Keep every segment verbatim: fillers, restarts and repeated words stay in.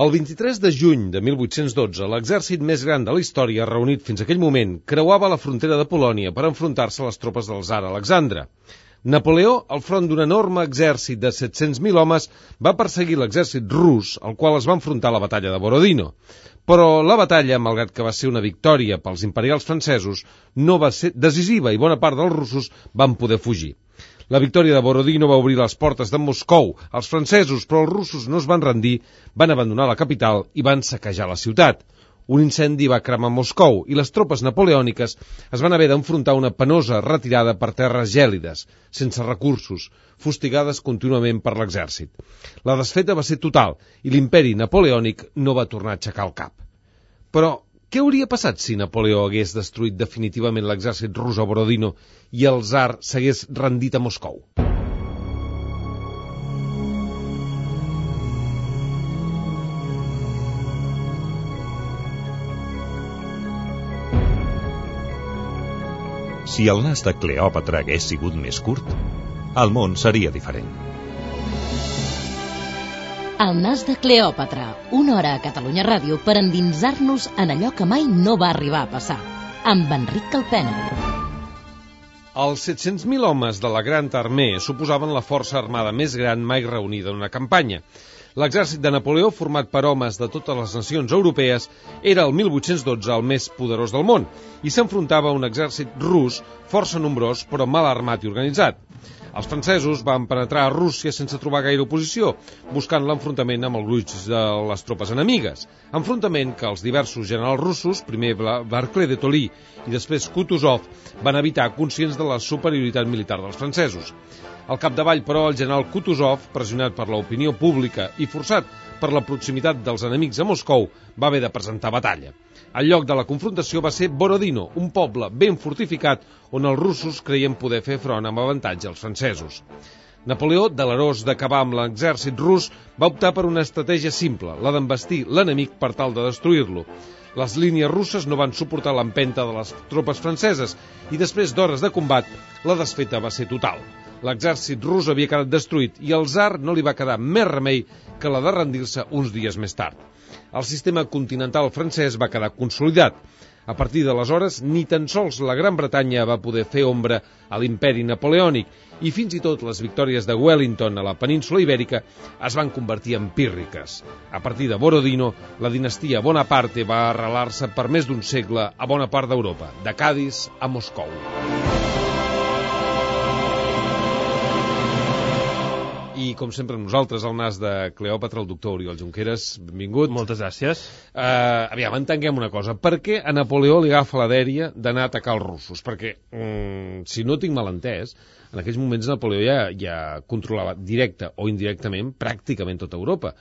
El vint-i-tres de juny de mil vuit-cents dotze, l'exèrcit més gran de la història, reunit fins a aquell moment, creuava la frontera de Polònia per enfrontar-se a les tropes del tsar Alexandre. Napoleó, al front d'un enorme exèrcit de set-cents mil homes, va perseguir l'exèrcit rus, al qual es va enfrontar a la batalla de Borodino. Però la batalla, malgrat que va ser una victòria pels imperials francesos, no va ser decisiva i bona part dels russos van poder fugir. La victòria de Borodino va obrir les portes de Moscou als francesos, però els russos no es van rendir, van abandonar la capital i van saquejar la ciutat. Un incendi va cremar Moscou i les tropes napoleòniques es van haver d'enfrontar una penosa retirada per terres gèlides, sense recursos, fustigades contínuament per l'exèrcit. La desfeta va ser total i l'imperi napoleònic no va tornar a aixecar el cap. Però què hauria passat si Napoleó hagués destruït definitivament l'exèrcit rus a Borodino i el tsar s'hagués rendit a Moscou? Si el nas de Cleòpatra hagués sigut més curt, el món seria diferent. El nas de Cleòpatra, una hora a Catalunya Ràdio per endinsar-nos en allò que mai no va arribar a passar, amb Enric Calpena. Els set-cents mil homes de la Gran Armée suposaven la força armada més gran mai reunida en una campanya. L'exèrcit de Napoleó, format per homes de totes les nacions europees, era el mil vuit-cents dotze el més poderós del món i s'enfrontava a un exèrcit rus força nombrós però mal armat i organitzat. Els francesos van penetrar a Rússia sense trobar gaire oposició, buscant l'enfrontament amb el gruix de les tropes enemigues. Enfrontament que els diversos generals russos, primer Barclay de Tolly i després Kutuzov, van evitar conscients de la superioritat militar dels francesos. Al capdavall, però, el general Kutuzov, pressionat per l'opinió pública i forçat per la proximitat dels enemics a Moscou, va haver de presentar batalla. El lloc de la confrontació va ser Borodino, un poble ben fortificat on els russos creien poder fer front amb avantatge als francesos. Napoleó, delerós d'acabar amb l'exèrcit rus, va optar per una estratègia simple, la d'envestir l'enemic per tal de destruir-lo. Les línies russes no van suportar l'empenta de les tropes franceses i després d'hores de combat, la desfeta va ser total. L'exèrcit rus havia quedat destruït i al tsar no li va quedar més remei que la de rendir-se uns dies més tard. El sistema continental francès va quedar consolidat. A partir d'aleshores, ni tan sols la Gran Bretanya va poder fer ombra a l'imperi napoleònic i fins i tot les victòries de Wellington a la península Ibèrica es van convertir en pírriques. A partir de Borodino, la dinastia Bonaparte va arrelar-se per més d'un segle a bona part d'Europa, de Cadis a Moscou. I, com sempre, amb nosaltres, el nas de Cleòpatra, el doctor Oriol Junqueras. Benvingut. Moltes gràcies. Uh, aviam, entenguem una cosa. Per què a Napoleó li agafa la dèria d'anar a atacar els russos? Perquè, um, si no tinc mal entès, en aquells moments Napoleó ja, ja controlava directe o indirectament pràcticament tota Europa.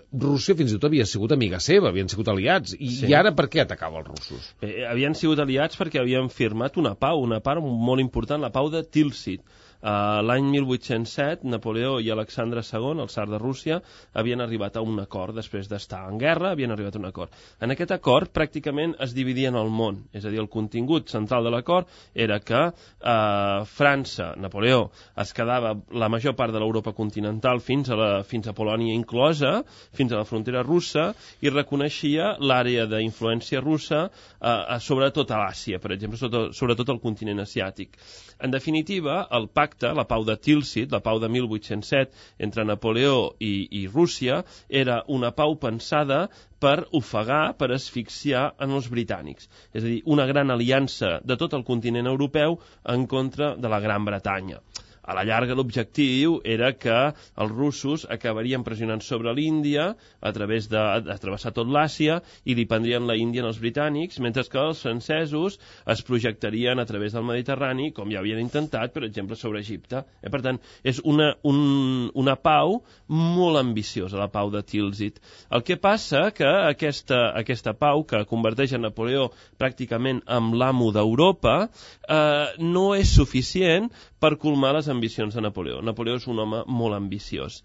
Rússia fins i tot havia sigut amiga seva, havien sigut aliats, i, sí. I ara per què atacava els russos? Bé, havien sigut aliats perquè havien firmat una pau, una part molt important, la pau de Tilsit. Uh, L'any mil vuit-cents set, Napoleó i Alexandre segon, el tsar de Rússia, havien arribat a un acord. Després d'estar en guerra, havien arribat a un acord. En aquest acord, pràcticament es dividien el món. És a dir, el contingut central de l'acord era que uh, França, Napoleó, es quedava la major part de l'Europa continental fins a, la, fins a Polònia inclosa, fins a la frontera russa, i reconeixia l'àrea d'influència russa uh, sobretot a l'Àsia, per exemple, sobretot, sobretot al continent asiàtic. En definitiva, el pacte, la pau de Tilsit, la pau de mil vuit-cents set, entre Napoleó i, i Rússia, era una pau pensada per ofegar, per asfixiar en els britànics. És a dir, una gran aliança de tot el continent europeu en contra de la Gran Bretanya. A la llarga l'objectiu era que els russos acabarien pressionant sobre l'Índia a través de, de travessar tot l'Àsia i li prendrien la Índia als britànics, mentre que els francesos es projectarien a través del Mediterrani, com ja havien intentat, per exemple, sobre Egipte. Eh, per tant, és una, un, una pau molt ambiciosa, la pau de Tilsit. El que passa que aquesta, aquesta pau, que converteix a Napoleó pràcticament en l'amo d'Europa, eh, no és suficient per colmar les ambicions de Napoleó. Napoleó és un home molt ambiciós.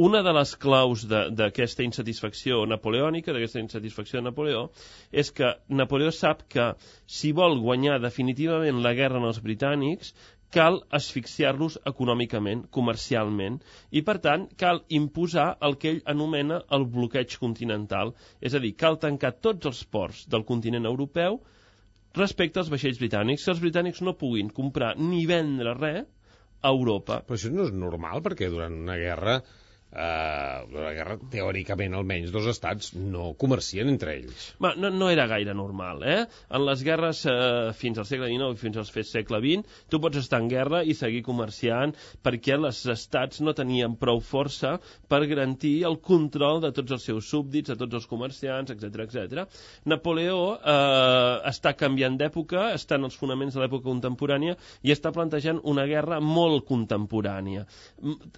Una de les claus d'aquesta insatisfacció napoleònica, d'aquesta insatisfacció de Napoleó, és que Napoleó sap que si vol guanyar definitivament la guerra en els britànics, cal asfixiar-los econòmicament, comercialment, i per tant cal imposar el que ell anomena el bloqueig continental, és a dir, cal tancar tots els ports del continent europeu respecte als vaixells britànics, que els britànics no puguin comprar ni vendre res a Europa. Però això no és normal, perquè durant una guerra, eh, la guerra teòricament almenys dos estats no comercien entre ells. Ma, no, no era gaire normal, eh? En les guerres eh, fins al segle dinou i fins al segle vint, tu pots estar en guerra i seguir comerciant perquè els estats no tenien prou força per garantir el control de tots els seus súbdits, de tots els comerciants, etcètera, etcètera. Napoleó eh, està canviant d'època, està en els fonaments de l'època contemporània i està plantejant una guerra molt contemporània.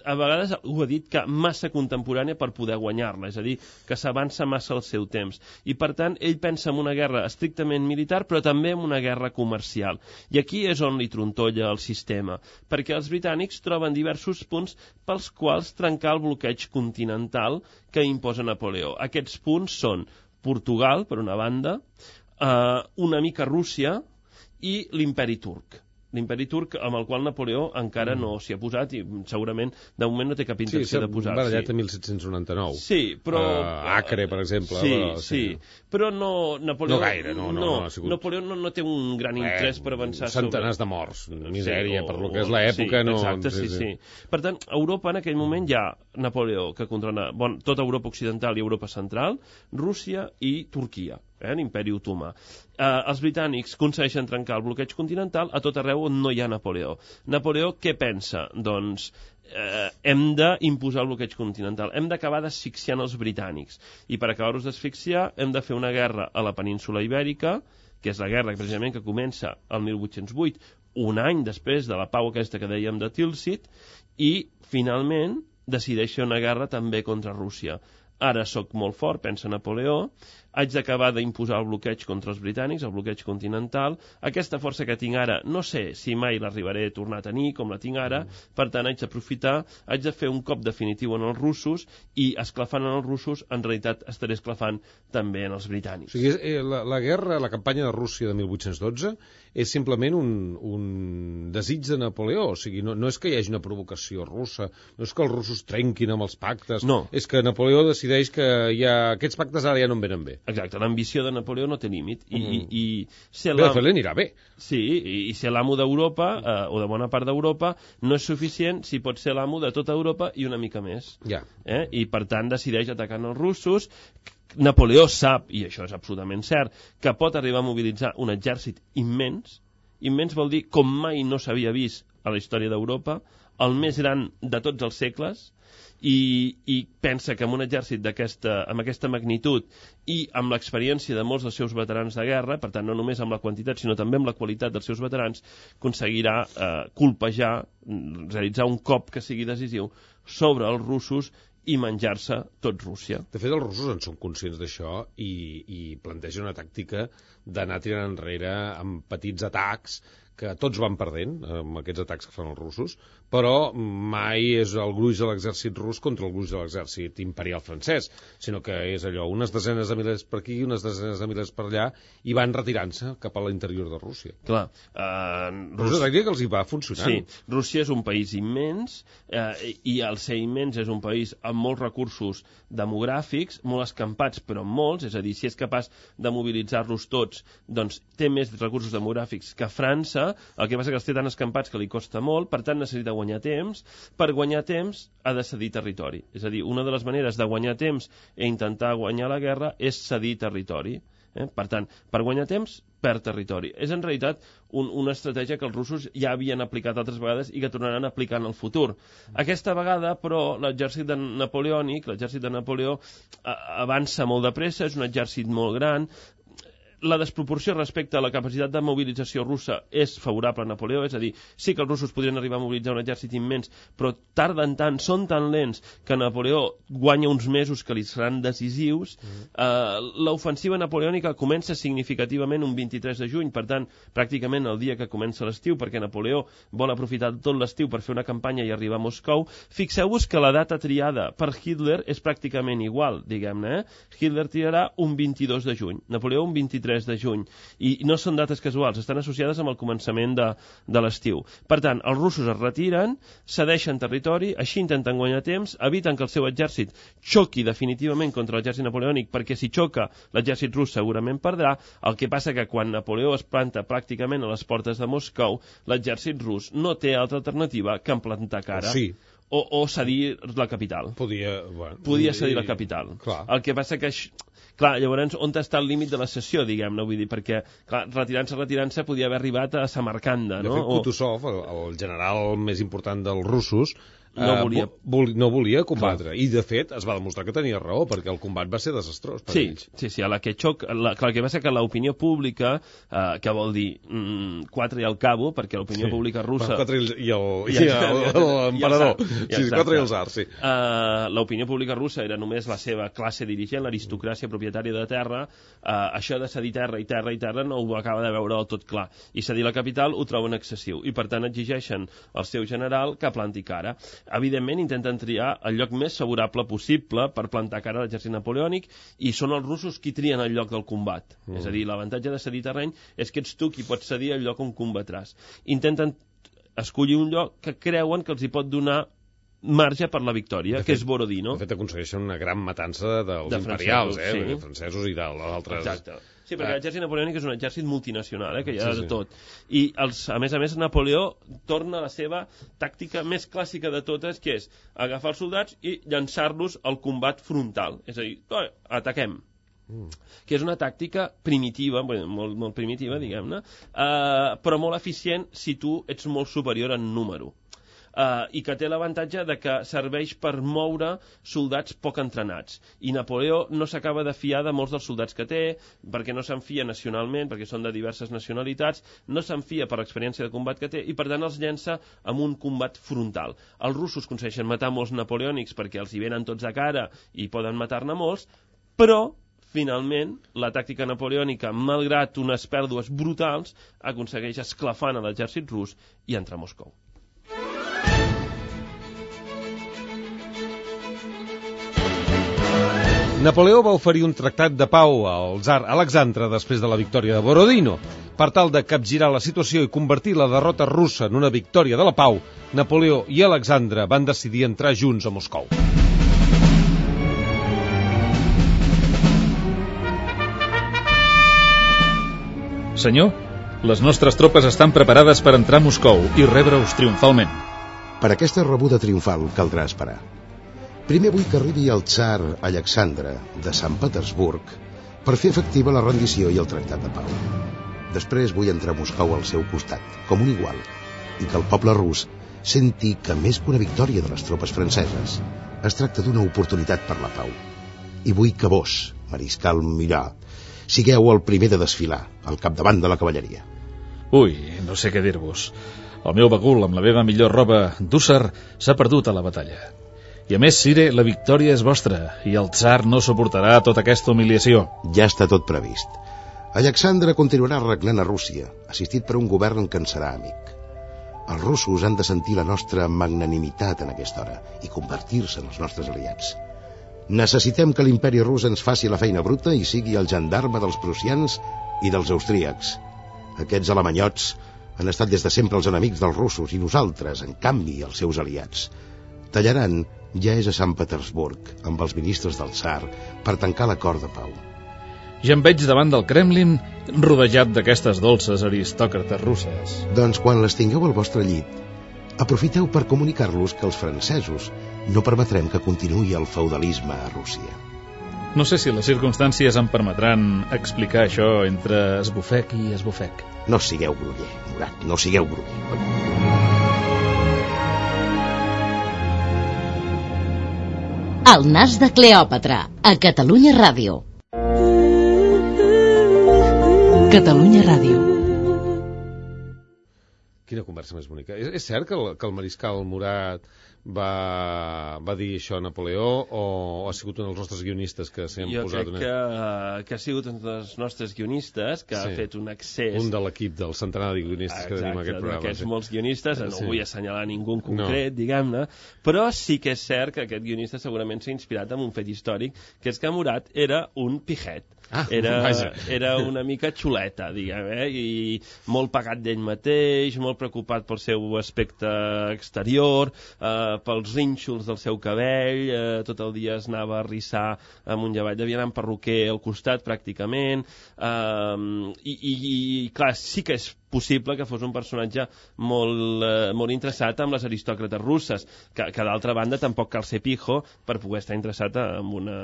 A vegades ho ha dit que massa contemporània per poder guanyar-la, és a dir, que s'avança massa el seu temps. I, per tant, ell pensa en una guerra estrictament militar, però també en una guerra comercial. I aquí és on li trontolla el sistema, perquè els britànics troben diversos punts pels quals trencar el bloqueig continental que imposa Napoleó. Aquests punts són Portugal, per una banda, eh, una mica Rússia i l'imperi turc. L'imperi turc amb el qual Napoleó encara mm. no s'hi ha posat i segurament de moment no té cap intenció sí, de posar-s'hi. Sí, barallat a mil set-cents noranta-nou. Sí, però... Uh, Acre, per exemple. Sí, però, sí, sí. Però no... Napoleó, no gaire, no. no, no, no ha sigut... Napoleó no, no té un gran interès eh, per avançar centenars sobre... de morts, misèria, sí, o, per lo que és l'època. Sí, no... exacte, sí, sí, sí. Per tant, a Europa en aquell moment hi ha Napoleó, que controla bon, tota Europa occidental i Europa central, Rússia i Turquia. Eh, l'imperi otomà. Eh, els britànics aconsegueixen trencar el bloqueig continental a tot arreu on no hi ha Napoleó. Napoleó què pensa? Doncs eh, hem d'imposar el bloqueig continental, hem d'acabar d'asfixiant els britànics, i per acabar-los d'asfixiar hem de fer una guerra a la península ibèrica, que és la guerra precisament que comença el mil vuit-cents vuit, un any després de la pau aquesta que dèiem de Tilsit, i finalment decideix fer una guerra també contra Rússia. Ara sóc molt fort, pensa Napoleó, haig d'acabar d'imposar el bloqueig contra els britànics, el bloqueig continental. Aquesta força que tinc ara, no sé si mai l'arribaré a tornar a tenir com la tinc ara, mm. per tant haig d'aprofitar, haig de fer un cop definitiu en els russos, i esclafant en els russos, en realitat estaré esclafant també en els britànics. O sigui, la, la guerra, la campanya de Rússia de mil vuit-cents dotze, és simplement un, un desig de Napoleó, o sigui, no, no és que hi hagi una provocació russa, no és que els russos trenquin amb els pactes, no. És que Napoleó decideix que ja, aquests pactes ara ja no en venen bé. Exacte, l'ambició de Napoleó no té límit. I, mm. i, i ser bé, de fet, l'anirà bé. Sí, i, i ser l'amo d'Europa, eh, o de bona part d'Europa, no és suficient si pot ser l'amo de tota Europa i una mica més. Ja. Eh? I, per tant, decideix atacant els russos. Napoleó sap, i això és absolutament cert, que pot arribar a mobilitzar un exèrcit immens. Immens vol dir com mai no s'havia vist a la història d'Europa, el més gran de tots els segles, i, i pensa que amb un exèrcit d'aquesta, amb aquesta magnitud i amb l'experiència de molts dels seus veterans de guerra, per tant no només amb la quantitat sinó també amb la qualitat dels seus veterans, aconseguirà eh, colpejar, realitzar un cop que sigui decisiu sobre els russos i menjar-se tot Rússia. De fet, els russos en són conscients d'això i, i plantegen una tàctica d'anar tirant enrere amb petits atacs que tots van perdent amb aquests atacs que fan els russos, però mai és el gruix de l'exèrcit rus contra el gruix de l'exèrcit imperial francès, sinó que és allò, unes desenes de milers per aquí, unes desenes de milers per allà, i van retirant-se cap a l'interior de Rússia. Clar. Uh, Rússia... És una tàctica que els hi va funcionant. Sí, Rússia és un país immens, eh, i al ser immens és un país amb molts recursos demogràfics, molt escampats, però molts, és a dir, si és capaç de mobilitzar-los tots, doncs té més recursos demogràfics que França. El que passa que els té tan escampats que li costa molt, per tant necessita guanyar temps. Per guanyar temps ha de cedir territori. És a dir, una de les maneres de guanyar temps i intentar guanyar la guerra és cedir territori. Eh? Per tant, per guanyar temps, perd territori. És en realitat un, una estratègia que els russos ja havien aplicat altres vegades i que tornaran a aplicar en el futur. Aquesta vegada, però, l'exèrcit de napoleònic, l'exèrcit de Napoleó, avança molt de pressa, és un exèrcit molt gran. La desproporció respecte a la capacitat de mobilització russa és favorable a Napoleó, és a dir, sí que els russos podrien arribar a mobilitzar un exèrcit immens, però tarden tant, són tan lents, que Napoleó guanya uns mesos que li seran decisius. Mm. Uh, l'ofensiva napoleònica comença significativament un vint-i-tres de juny, per tant, pràcticament el dia que comença l'estiu, perquè Napoleó vol aprofitar tot l'estiu per fer una campanya i arribar a Moscou. Fixeu-vos que la data triada per Hitler és pràcticament igual, diguem-ne. Eh? Hitler tirarà un vint-i-dos de juny, Napoleó un vint-i-tres vint-i-tres de juny. I no són dates casuals, estan associades amb el començament de, de l'estiu. Per tant, els russos es retiren, cedeixen territori, així intenten guanyar temps, eviten que el seu exèrcit xoqui definitivament contra l'exèrcit napoleònic, perquè si xoca l'exèrcit rus segurament perdrà. El que passa que quan Napoleó es planta pràcticament a les portes de Moscou, l'exèrcit rus no té altra alternativa que en plantar cara. Sí. O, o cedir la capital. Podia, bueno, Podia cedir la capital. Clar. El que passa que... Clar, llavors, on està el límit de la cessió, diguem-ne? Vull dir, perquè, clar, retirant-se, retirant-se, podia haver arribat a Samarcanda, no? De fet, Kutuzov, el, el general més important dels russos, no volia, uh, vol, no volia combatre. Clar. I, de fet, es va demostrar que tenia raó, perquè el combat va ser desastrós per sí, ells. Sí, sí, a la que xoc... La, clar, el que va ser que l'opinió pública, eh, que vol dir mm, quatre i al cabo, perquè l'opinió sí. pública russa... Bueno, quatre i l'emperador. Sí, quatre i el zar, sí. Uh, l'opinió pública russa era només la seva classe dirigent, l'aristocràcia propietària de terra. Uh, això de cedir terra i terra i terra no ho acaba de veure del tot clar. I cedir la capital ho troben excessiu. I, per tant, exigeixen al seu general que planti cara. Evidentment, intenten triar el lloc més favorable possible per plantar cara a l'exèrcit napoleònic, i són els russos qui trien el lloc del combat. Mm. És a dir, l'avantatge de cedir terreny és que ets tu qui pots cedir el lloc on combatràs. Intenten escollir un lloc que creuen que els hi pot donar marge per la victòria, fet, que és Borodino. De fet, aconsegueixen una gran matança dels de imperials, eh? Sí. Francesos i d'altres... Exacte. Sí, perquè ah. l'exèrcit napoleònic és un exèrcit multinacional, eh, que hi ha sí, de tot. I, els, a més a més, Napoleó torna a la seva tàctica més clàssica de totes, que és agafar els soldats i llançar-los al combat frontal. És a dir, ataquem. Mm. Que és una tàctica primitiva, bueno, molt, molt primitiva, diguem-ne, eh, però molt eficient si tu ets molt superior en número. Uh, i que té l'avantatge de que serveix per moure soldats poc entrenats. I Napoleó no s'acaba de fiar de molts dels soldats que té, perquè no se'n fia nacionalment, perquè són de diverses nacionalitats, no se'n fia per l'experiència de combat que té, i per tant els llença amb un combat frontal. Els russos aconsegueixen matar molts napoleònics perquè els hi venen tots a cara i poden matar-ne molts, però finalment, la tàctica napoleònica, malgrat unes pèrdues brutals, aconsegueix esclafant a l'exèrcit rus i entra a Moscou. Napoleó va oferir un tractat de pau al tsar Alexandre després de la victòria de Borodino. Per tal de capgirar la situació i convertir la derrota russa en una victòria de la pau, Napoleó i Alexandre van decidir entrar junts a Moscou. Senyor, les nostres tropes estan preparades per entrar a Moscou i rebre-us triomfalment. Per aquesta rebuda triomfal caldrà esperar. Primer vull que arribi el tsar Alexandre de Sant Petersburg per fer efectiva la rendició i el tractat de pau. Després vull entrar a Moscou al seu costat, com un igual, i que el poble rus senti que més que una victòria de les tropes franceses es tracta d'una oportunitat per la pau. I vull que vos, mariscal Murat, sigueu el primer de desfilar al capdavant de la cavalleria. Ui, no sé què dir-vos. El meu bagul amb la meva millor roba d'hússar s'ha perdut a la batalla. I a més, Sire, la victòria és vostra i el tsar no suportarà tota aquesta humiliació. Ja està tot previst. Alexandre continuarà reglant a Rússia, assistit per un govern que en serà amic. Els russos han de sentir la nostra magnanimitat en aquesta hora i convertir-se en els nostres aliats. Necessitem que l'imperi rus ens faci la feina bruta i sigui el gendarme dels prussians i dels austríacs. Aquests alemanyots han estat des de sempre els enemics dels russos i nosaltres, en canvi, els seus aliats. Tallaran ja és a Sant Petersburg, amb els ministres del tsar, per tancar l'acord de pau. Ja em veig davant del Kremlin, rodejat d'aquestes dolces aristòcrates russes. Doncs quan les tingueu al vostre llit, aprofiteu per comunicar-los que els francesos no permetrem que continuï el feudalisme a Rússia. No sé si les circumstàncies em permetran explicar això entre esbufec i esbufec. No sigueu groller, Murat, no sigueu groller. El nas de Cleòpatra, a Catalunya Ràdio. Catalunya Ràdio. Quina conversa més bonica. És, és cert que el, que el mariscal Murat va, va dir això a Napoleó o, o ha sigut un dels nostres guionistes que s'hi han jo posat? Jo crec una... que, que ha sigut un dels nostres guionistes que sí. ha fet un accés... Un de l'equip del centenar de guionistes Exacte, que tenim aquest programa. Exacte, d'aquests sí. molts guionistes, no sí. vull assenyalar ningú en concret, no. diguem-ne, però sí que és cert que aquest guionista segurament s'ha inspirat en un fet històric, que és que Murat era un pijet. Ah, era, vaja. era una mica xuleta, diguem, eh? I molt pagat d'ell mateix, molt preocupat pel seu aspecte exterior, eh, pels rínxols del seu cabell, eh, tot el dia es anava a rissar amunt i avall, devia anar amb perruquer al costat pràcticament, eh, i, i, i clar, sí que és possible que fos un personatge molt, eh, molt interessat amb les aristòcrates russes, que, que d'altra banda tampoc cal ser pijo per poder estar interessat en una,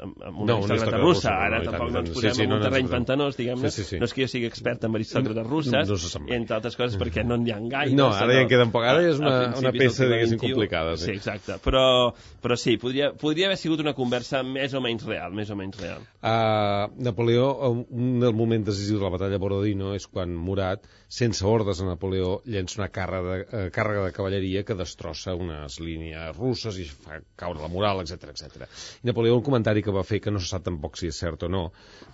en una no, aristòcrata una russa. russa. Ara no, tampoc tant, no ens sí, posem sí, en no, un no, terreny no, pantanós, diguem-ne. Sí, sí, sí. No és que jo sigui expert en aristòcrates russes, no, no se sap mai. entre altres coses perquè no n'hi ha gaire. No, ara ja en queden poc. Ara és una, una peça, del diguéssim, vint i u. complicada. Sí, sí exacte. Però, però sí, podria, podria haver sigut una conversa més o menys real, més o menys real. Uh, Napoleó, un del moment decisiu de la batalla de Borodino és quan Murat, sense ordres a Napoleó, llença una càrrega de, uh, càrrega de cavalleria que destrossa unes línies russes i fa caure la moral, etcètera, etcètera. I Napoleó, un comentari que va fer, que no se sap tampoc si és cert o no,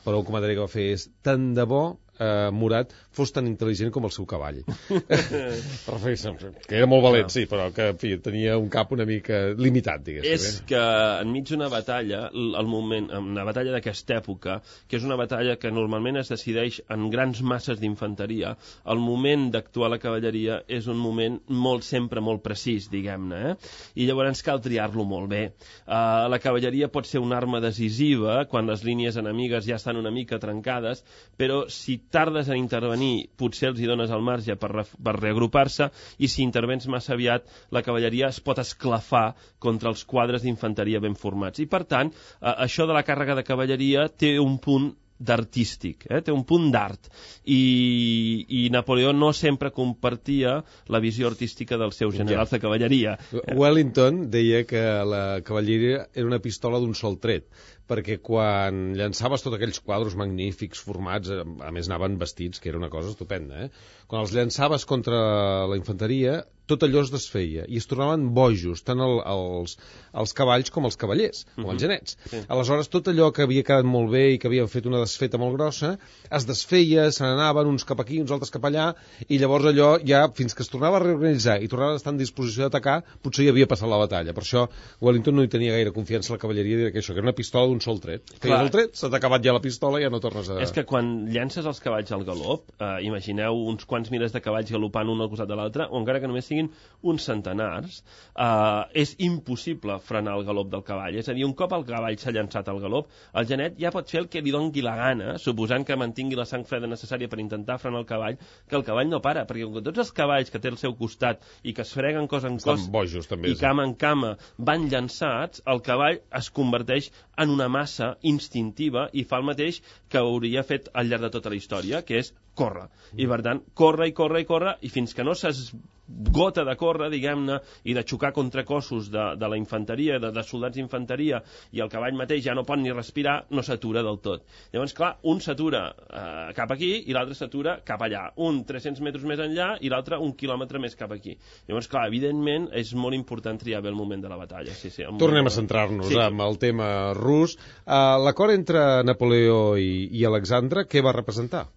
però un comentari que va fer és: tant de bo Uh, Murat fos tan intel·ligent com el seu cavall. Que era molt valent, sí, però que en fi, tenia un cap una mica limitat, diguéssim. És que enmig d'una batalla, el moment, una batalla d'aquesta època, que és una batalla que normalment es decideix en grans masses d'infanteria, el moment d'actuar la cavalleria és un moment molt, sempre molt precís, diguem-ne, eh? I llavors cal triar-lo molt bé. Uh, la cavalleria pot ser una arma decisiva quan les línies enemigues ja estan una mica trencades, però si tardes en intervenir, potser els hi dones el marge per, re, per reagrupar-se, i si intervens massa aviat, la cavalleria es pot esclafar contra els quadres d'infanteria ben formats. I, per tant, eh, això de la càrrega de cavalleria té un punt d'artístic, eh? Té un punt d'art, i, i Napoleó no sempre compartia la visió artística dels seus generals ja. de cavalleria. Wellington deia que la cavalleria era una pistola d'un sol tret, perquè quan llançaves tots aquells quadros magnífics, formats, a més anaven vestits, que era una cosa estupenda, eh? Quan els llançaves contra la infanteria, tot allò es desfeia, i es tornaven bojos, tant el, els, els cavalls com els cavallers, com uh-huh. els genets. Sí. Aleshores, tot allò que havia quedat molt bé i que havia fet una desfeta molt grossa, es desfeia, se n'anaven uns cap aquí, uns altres cap allà, i llavors allò ja, fins que es tornava a reorganitzar i tornava a estar en disposició d'atacar, potser hi havia passat la batalla. Per això Wellington no hi tenia gaire confiança en la cavalleria, i que això, que era una pistola d'un sol tret. Feies el tret, s'ha acabat ja la pistola i ja no tornes a... És que quan llences els cavalls al galop, eh, imagineu uns quants milers de cavalls galopant un al costat de l'altre, o encara que només siguin uns centenars, eh, és impossible frenar el galop del cavall. És a dir, un cop el cavall s'ha llançat al galop, el genet ja pot fer el que li doni la gana, suposant que mantingui la sang freda necessària per intentar frenar el cavall, que el cavall no para, perquè com que tots els cavalls que té al seu costat i que es freguen cos en cos bojos, també, i cama en cama van llançats, el cavall es converteix en una massa instintiva i fa el mateix que hauria fet al llarg de tota la història, que és córrer. I per tant, corre i corre i corre, i fins que no s'esgota de córrer, diguem-ne, i de xocar contra cossos de, de la infanteria, de, de soldats d'infanteria, i el cavall mateix ja no pot ni respirar, no s'atura del tot. Llavors, clar, un s'atura eh, cap aquí i l'altre s'atura cap allà. Un tres-cents metres més enllà i l'altre un quilòmetre més cap aquí. Llavors, clar, evidentment, és molt important triar bé el moment de la batalla. Sí, sí, Tornem a centrar-nos sí. amb el tema rus. Uh, L'acord entre Napoleó i, i Alexandre, què va representar?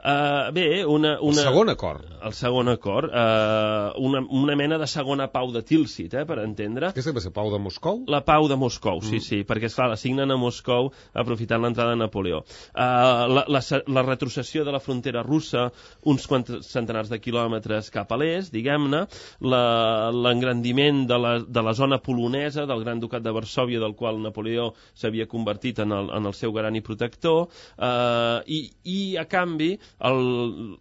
Uh, bé, una, una... El segon acord. El segon acord. Uh, una, una mena de segona pau de Tilsit, eh, per entendre. Aquesta va ser pau de Moscou? La pau de Moscou, sí, mm. sí, perquè, esclar, la signen a Moscou aprofitant l'entrada de Napoleó. Uh, la, la, la retrocessió de la frontera russa, uns quants centenars de quilòmetres cap a l'est, diguem-ne, l'engrandiment de, la, de la zona polonesa, del Gran Ducat de Varsòvia, del qual Napoleó s'havia convertit en el, en el seu garant i protector, uh, i, i, a canvi, El,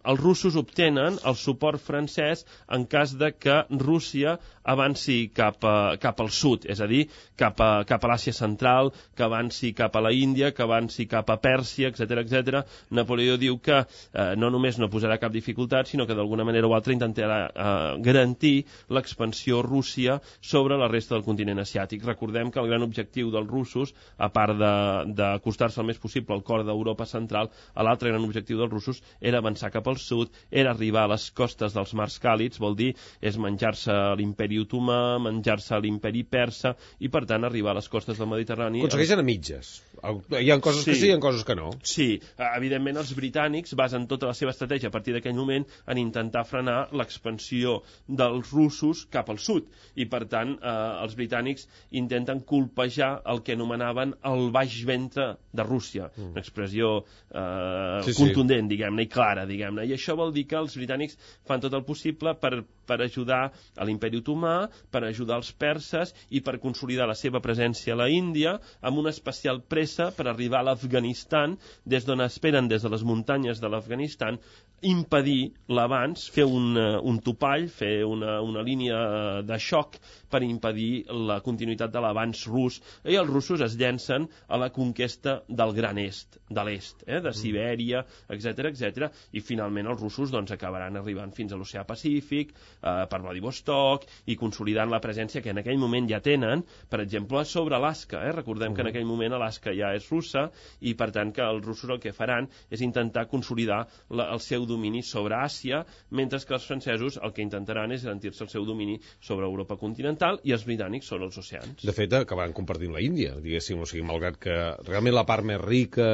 els russos obtenen el suport francès en cas de que Rússia avanci cap, a, cap al sud, és a dir, cap a, cap a l'Àsia central, que avanci cap a la Índia, que avanci cap a Pèrsia, etcètera, etcètera. Napoleó diu que eh, no només no posarà cap dificultat, sinó que d'alguna manera o altra intentarà eh, garantir l'expansió Rússia sobre la resta del continent asiàtic. Recordem que el gran objectiu dels russos, a part d'acostar-se el més possible al cor d'Europa central, l'altre gran objectiu dels russos era avançar cap al sud, era arribar a les costes dels mars càlids, vol dir, és menjar-se l'imperi otomà, menjar-se l'imperi persa, i per tant arribar a les costes del Mediterrani... Aconsegueixen a mitges. Hi ha coses sí. que sí, hi ha coses que no. Sí, evidentment els britànics basen tota la seva estratègia a partir d'aquell moment en intentar frenar l'expansió dels russos cap al sud, i per tant eh, els britànics intenten colpejar el que anomenaven el baix ventre de Rússia, mm. una expressió eh, sí, contundent, sí. diguem-ne, i clara, diguem-ne, i això vol dir que els britànics fan tot el possible per, per ajudar a l'imperi otomà, per ajudar els perses i per consolidar la seva presència a la Índia, amb una especial pressa per arribar a l'Afganistan, des d'on esperen, des de les muntanyes de l'Afganistan, impedir l'avanç, fer un, un topall, fer una, una línia de xoc per impedir la continuïtat de l'avanç rus, i els russos es llencen a la conquesta del Gran Est, de l'Est, eh, de Sibèria, etcètera, etcètera, i finalment els russos doncs, acabaran arribant fins a l'oceà Pacífic, eh, per Vladivostok, i consolidant la presència que en aquell moment ja tenen, per exemple, sobre Alaska. Eh? Recordem que en aquell moment Alaska ja és russa, i per tant que els russos el que faran és intentar consolidar la, el seu domini sobre Àsia, mentre que els francesos el que intentaran és garantir-se el seu domini sobre Europa continental i els britànics sobre els oceans. De fet, acabaran compartint la Índia, diguéssim, o sigui, malgrat que realment la part més rica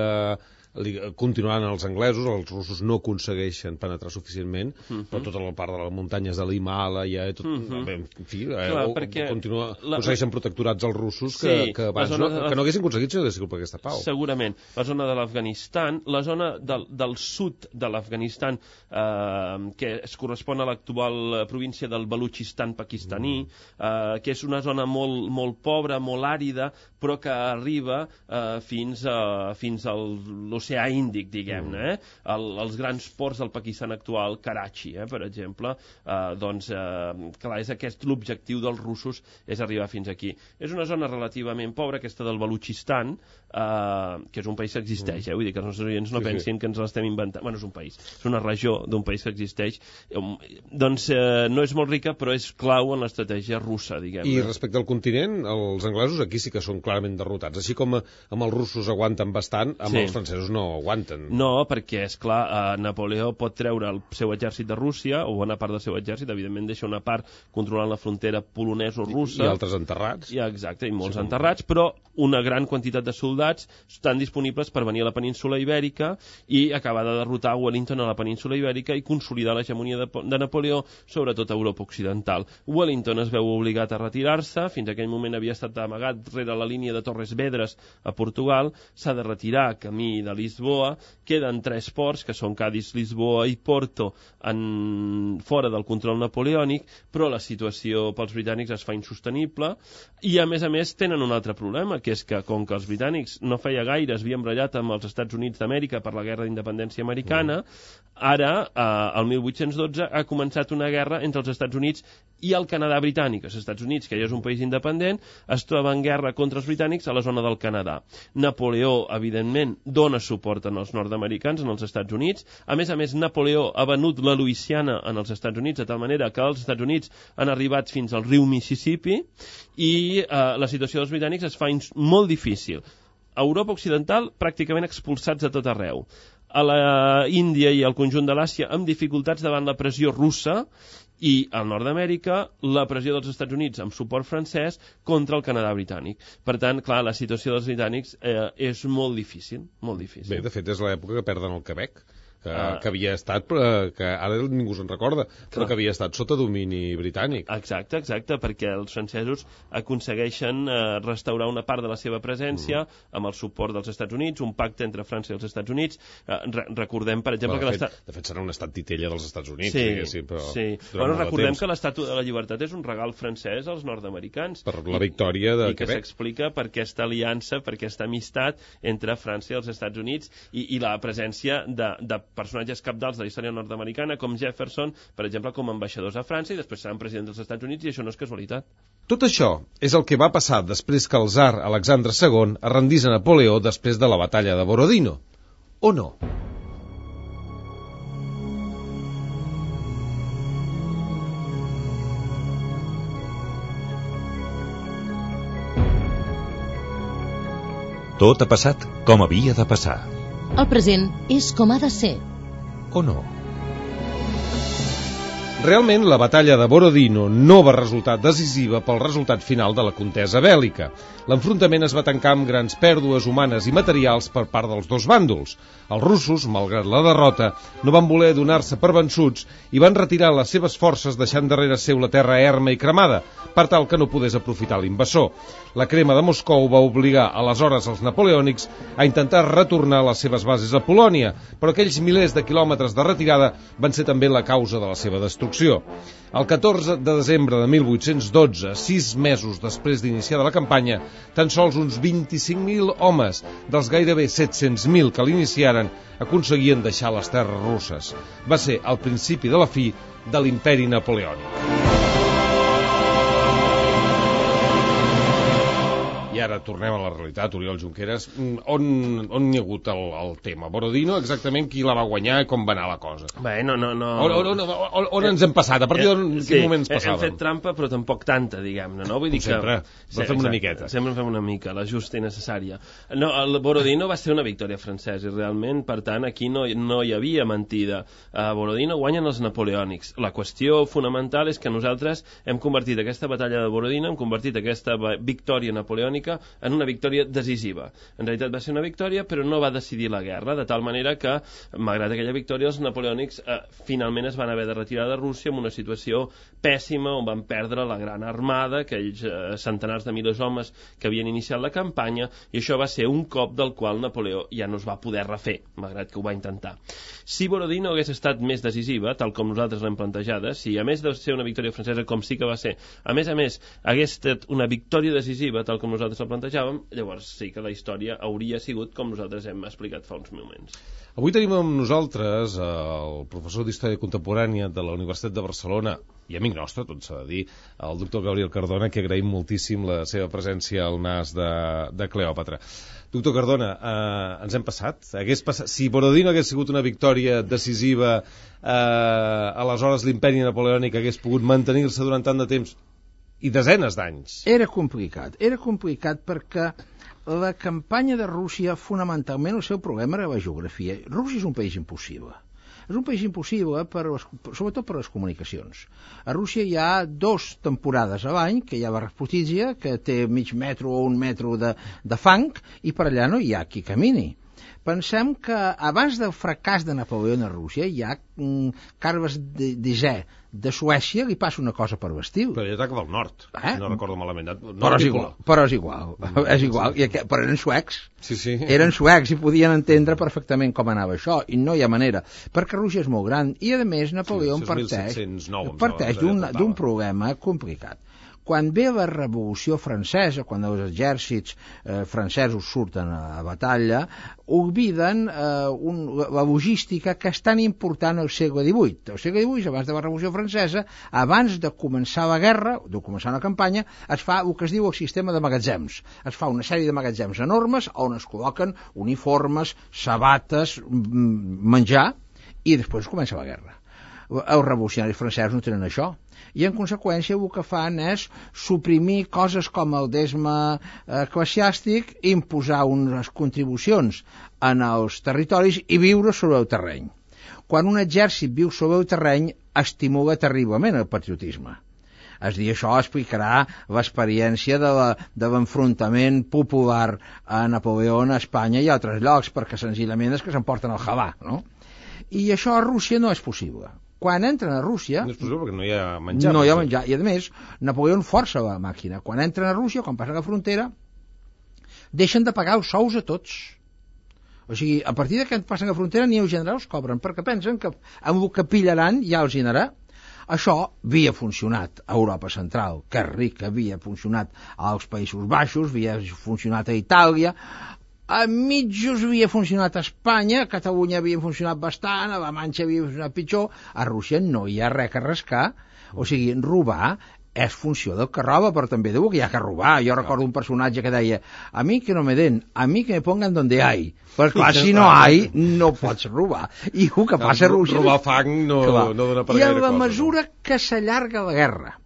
continuaran els anglesos, els russos no aconsegueixen penetrar suficientment, uh-huh. però tota la part de les muntanyes de l'Himàlaia i tot, uh-huh. bé, en fi, Clar, eh, continua, la... aconsegueixen protectorats els russos que, sí, que abans no, de... que no haguessin aconseguit si no hagués sigut per aquesta pau. Segurament. La zona de l'Afganistan, la zona del, del sud de l'Afganistan, eh, que es correspon a l'actual província del Balutxistan pakistaní, uh-huh. eh, que és una zona molt, molt pobra, molt àrida, però que arriba eh, fins, a, fins al l'oceà Índic, diguem-ne, eh? El, els grans ports del Pakistan actual, Karachi, eh, per exemple, eh, doncs, eh, clar, és aquest l'objectiu dels russos, és arribar fins aquí. És una zona relativament pobra, aquesta del Balutxistan, eh, que és un país que existeix, eh? Vull dir que els nostres oients no sí, pensin sí. que ens l'estem inventant. Bueno, és un país, és una regió d'un país que existeix. Doncs eh, no és molt rica, però és clau en l'estratègia russa, diguem-ne. I respecte al continent, els anglesos aquí sí que són clarament derrotats. Així com amb els russos aguanten bastant, amb sí. els francesos no aguanten. No, perquè, és clar, eh, Napoleó pot treure el seu exèrcit de Rússia, o bona part del seu exèrcit, evidentment deixa una part controlant la frontera polonesa-russa. I, I altres enterrats. I, exacte, i molts sí, enterrats, però una gran quantitat de soldats estan disponibles per venir a la península Ibèrica i acabar de derrotar Wellington a la península Ibèrica i consolidar l'hegemonia de, de Napoleó sobre tota Europa occidental. Wellington es veu obligat a retirar-se, fins a aquell moment havia estat amagat rere la línia de Torres Vedres a Portugal, s'ha de retirar camí de Lisboa, queden tres ports, que són Cadis, Lisboa i Porto, en... fora del control napoleònic, però la situació pels britànics es fa insostenible, i a més a més tenen un altre problema, que és que com que els britànics no feia gaire es havien barallat amb els Estats Units d'Amèrica per la guerra d'independència americana, ara, eh, el mil vuit-cents dotze, ha començat una guerra entre els Estats Units i el Canadà britànic. Els Estats Units, que ja és un país independent, es troba en guerra contra els britànics a la zona del Canadà. Napoleó, evidentment, dona suport als nord-americans, en els Estats Units. A més a més, Napoleó ha venut la Louisiana en els Estats Units, de tal manera que els Estats Units han arribat fins al riu Mississippi, i eh, la situació dels britànics es fa molt difícil. A Europa occidental, pràcticament expulsats a tot arreu. A la Índia i al conjunt de l'Àsia, amb dificultats davant la pressió russa, i al nord d'Amèrica, la pressió dels Estats Units amb suport francès contra el Canadà britànic. Per tant, clar, la situació dels britànics eh, és molt difícil, molt difícil. Bé, de fet, és l'època que perden el Quebec, que, uh, que havia estat, però que ara ningú se'n recorda, però clar. que havia estat sota domini britànic. Exacte, exacte, perquè els francesos aconsegueixen eh, restaurar una part de la seva presència mm. amb el suport dels Estats Units, un pacte entre França i els Estats Units. Eh, re recordem, per exemple, bueno, que l'estat... De fet, serà un estat titella dels Estats Units, sí, diguéssim, però... Sí, bueno, recordem que l'Estàtua de la Llibertat és un regal francès als nord-americans. Per la victòria de I, i que s'explica per aquesta aliança, per aquesta amistat entre França i els Estats Units i, i la presència de, de personatges cabdals de la història nord-americana, com Jefferson, per exemple, com ambaixadors a França, i després seran presidents dels Estats Units, i això no és casualitat. Tot això és el que va passar després que el tsar Alexandre segon es rendís a Napoleó després de la batalla de Borodino. O no? Tot ha passat com havia de passar. El present és com ha de ser. o no? Realment, la batalla de Borodino no va resultar decisiva pel resultat final de la contesa bèl·lica. L'enfrontament es va tancar amb grans pèrdues humanes i materials per part dels dos bàndols. Els russos, malgrat la derrota, no van voler donar-se per vençuts i van retirar les seves forces deixant darrere seu la terra erma i cremada, per tal que no podés aprofitar l'invasor. La crema de Moscou va obligar aleshores els napoleònics a intentar retornar les seves bases a Polònia, però aquells milers de quilòmetres de retirada van ser també la causa de la seva destrucció. El catorze de desembre de mil vuit-cents dotze, sis mesos després d'iniciar la campanya, tan sols uns vint-i-cinc mil homes dels gairebé set-cents mil que l'iniciaren aconseguien deixar les terres russes. Va ser el principi de la fi de l'imperi napoleònic. I ara tornem a la realitat, Oriol Junqueras. On, on hi ha hagut el, el tema? Borodino, exactament qui la va guanyar i com va anar la cosa? Bé, no, no, no... On, on, on, on, on ens hem passat? A partir d'on eh, sí, quin moment ens passàvem? Hem fet trampa, però tampoc tanta, diguem-ne, no? Vull dir que... Sempre, però fem una miqueta. Sempre fem una mica, la justa i necessària. No, el Borodino va ser una victòria francesa i realment, per tant, aquí no, no hi havia mentida. A Borodino guanyen els napoleònics. La qüestió fonamental és que nosaltres hem convertit aquesta batalla de Borodino, hem convertit aquesta victòria napoleònica en una victòria decisiva. En realitat va ser una victòria, però no va decidir la guerra, de tal manera que, malgrat aquella victòria, els napoleònics eh, finalment es van haver de retirar de Rússia en una situació pèssima, on van perdre la gran armada, aquells eh, centenars de milers d'homes que havien iniciat la campanya, i això va ser un cop del qual Napoleó ja no es va poder refer, malgrat que ho va intentar. Si Borodino hagués estat més decisiva, tal com nosaltres l'hem plantejada, si a més de ser una victòria francesa, com sí que va ser, a més a més, hagués estat una victòria decisiva, tal com nosaltres la plantejàvem, llavors sí que la història hauria sigut com nosaltres hem explicat fa uns moments. Avui tenim amb nosaltres el professor d'Història Contemporània de la Universitat de Barcelona, i amic nostre, tot s'ha de dir, el doctor Gabriel Cardona, que agraïm moltíssim la seva presència al nas de, de Cleòpatra. Doctor Cardona, eh, ens hem passat? Hagués passat? Si Borodino hagués sigut una victòria decisiva, eh, aleshores l'imperi napoleònic hagués pogut mantenir-se durant tant de temps i desenes d'anys. Era complicat, era complicat perquè la campanya de Rússia, fonamentalment, el seu problema era la geografia. Rússia és un país impossible. És un país impossible, per les, sobretot per les comunicacions. A Rússia hi ha dos temporades a l'any, que hi ha la Rasputizia, que té mig metro o un metro de, de fang, i per allà no hi ha qui camini. Pensem que abans del fracàs de Napoleó a Rússia hi ha mm, Carles Desè de Suècia, li passa una cosa per l'estil. Però ell ataca del nord, eh? si no recordo malament. Però és igual, però és igual, és igual. I aquest, però eren suecs. Sí, sí. Eren suecs i podien entendre perfectament com anava això, i no hi ha manera, perquè Rússia és molt gran, i a més Napoleó sí, parteix, parteix d'un problema complicat. Quan ve la Revolució Francesa, quan els exèrcits eh, francesos surten a la batalla, obliden eh, un, la logística que és tan important al segle divuit. Al segle divuit, abans de la Revolució Francesa, abans de començar la guerra, de començar una campanya, es fa el que es diu el sistema de magatzems. Es fa una sèrie de magatzems enormes on es col·loquen uniformes, sabates, menjar, i després comença la guerra. Els revolucionaris francesos no tenen això, i en conseqüència el que fan és suprimir coses com el desme eclesiàstic, imposar unes contribucions en els territoris i viure sobre el terreny. Quan un exèrcit viu sobre el terreny, estimula terriblement el patriotisme. És dir, això explicarà l'experiència de la, de l'enfrontament popular a Napoleó a Espanya i a altres llocs, perquè senzillament és que s'emporten el halà, no? I això a Rússia no és possible. Quan entren a Rússia... No és possible perquè no hi ha menjar. No hi ha menjar. I a més, Napoleó força la màquina. Quan entren a Rússia, quan passen la frontera, deixen de pagar els sous a tots. O sigui, a partir de que passen la frontera ni els generals cobren, perquè pensen que amb el que pillaran ja els dinarà. Això havia funcionat a Europa Central, que és ric, havia funcionat als Països Baixos, havia funcionat a Itàlia, a mitjos havia funcionat a Espanya, a Catalunya havia funcionat bastant, a la Manxa havia funcionat pitjor, a Rússia no hi ha res a rascar, o sigui, robar és funció del que roba, però també diu que hi ha que robar. Jo recordo un personatge que deia, a mi que no me den, a mi que me pongan donde hay, però clar, si no hay, no pots robar. I el que passa a Rússia... Robar fang no, no dona per gaire cosa. I en la mesura que s'allarga la guerra,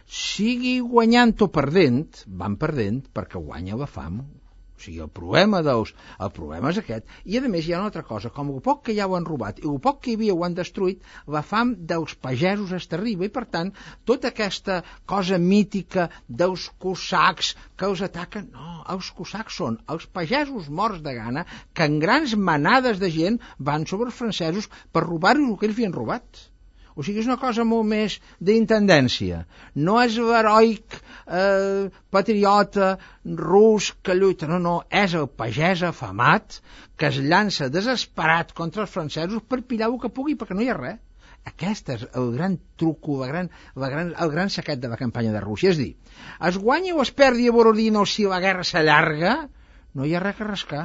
sigui guanyant o perdent, van perdent perquè guanya la fam. O sigui, el problema dels, el problema és aquest. I a més hi ha una altra cosa, com el poc que ja ho han robat i el poc que hi havia ho han destruït, la fam dels pagesos és terrible i per tant tota aquesta cosa mítica dels cosacs que els ataquen, no, els cosacs són els pagesos morts de gana que en grans manades de gent van sobre els francesos per robar-los el que ells havien robat. O sigui, és una cosa molt més d'intendència. No és l'heroic eh, patriota rus que lluita, no, no, és el pagès afamat que es llança desesperat contra els francesos per pillar el que pugui, perquè no hi ha res. Aquest és el gran truco, la gran, la gran, el gran secret de la campanya de Rússia. És dir, es guanya o es perdi a Borodino si la guerra s'allarga, no hi ha res que rascar.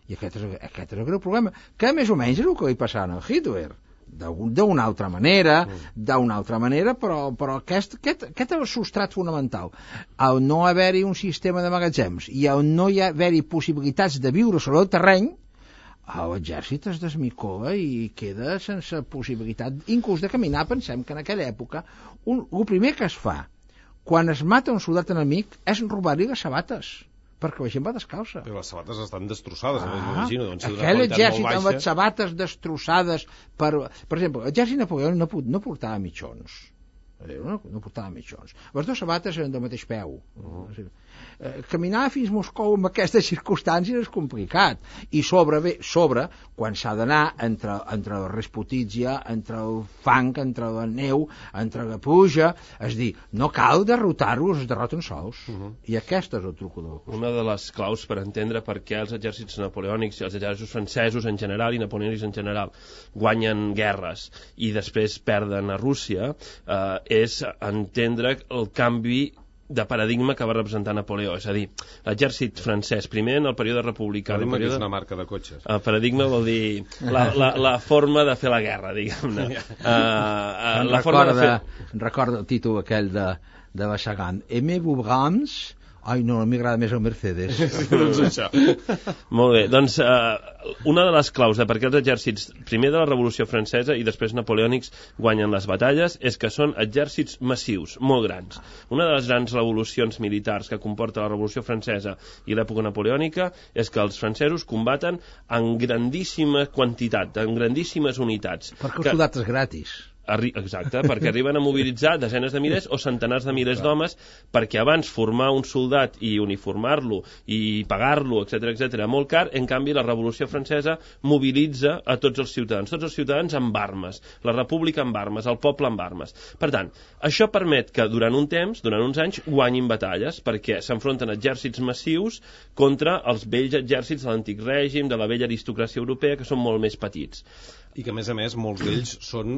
I aquest és, aquest és el greu problema, que més o menys és el que li passava a Hitler. D'una altra manera, d'una altra manera, però, però aquest, aquest, aquest és el substrat fonamental. Al no haver-hi un sistema de magatzems i al no hi haver-hi possibilitats de viure sobre el terreny, l'exèrcit es desmicola i queda sense possibilitat, inclús de caminar. Pensem que en aquella època un, el primer que es fa quan es mata un soldat enemic és robar-li les sabates, perquè la gent va descalça. Però les sabates estan destrossades, ah, m'imagino. Doncs, aquell exèrcit amb les sabates destrossades per... Per exemple, l'exèrcit napoleònic no, no portava mitjons. No, no portava mitjons. Les dues sabates eren del mateix peu. Uh-huh. Eh, caminar fins Moscou en aquestes circumstàncies és complicat. I sobre, bé, sobre quan s'ha d'anar entre, entre la Resputitsia, entre el fang, entre la neu, entre la pluja, és dir, no cal derrotar-los, es derroten sols. Uh-huh. I aquest és el truc de la cosa. Una de les claus per entendre per què els exèrcits napoleònics i els exèrcits francesos en general i napoleònics en general guanyen guerres i després perden a Rússia eh, és entendre el canvi de paradigma que va representar Napoleó, és a dir, l'exèrcit francès, primer en el període republicà... Paradigma període... que és una marca de cotxes. El paradigma vol dir la, la, la forma de fer la guerra, diguem-ne. Uh, uh, la forma de fer... Recorda el títol aquell de, de Bachagan. Aimez-vous Brahms? Ai, no, a mi m'agrada més el Mercedes. Doncs això. Molt bé, doncs uh, una de les claus de per què els exèrcits, primer de la Revolució Francesa i després napoleònics, guanyen les batalles, és que són exèrcits massius, molt grans. Una de les grans revolucions militars que comporta la Revolució Francesa i l'època napoleònica és que els francesos combaten en grandíssima quantitat, en grandíssimes unitats. Perquè el soldat és gratis. Arri Exacte, perquè arriben a mobilitzar desenes de milers o centenars de milers d'homes, perquè abans formar un soldat i uniformar-lo i pagar-lo, etcètera, etcètera, molt car. En canvi, la Revolució Francesa mobilitza a tots els ciutadans, tots els ciutadans amb armes, la república amb armes, el poble amb armes. Per tant, això permet que durant un temps, durant uns anys, guanyin batalles, perquè s'enfronten exèrcits massius contra els vells exèrcits de l'antic règim, de la vella aristocràcia europea, que són molt més petits. I que, a més a més, molts d'ells són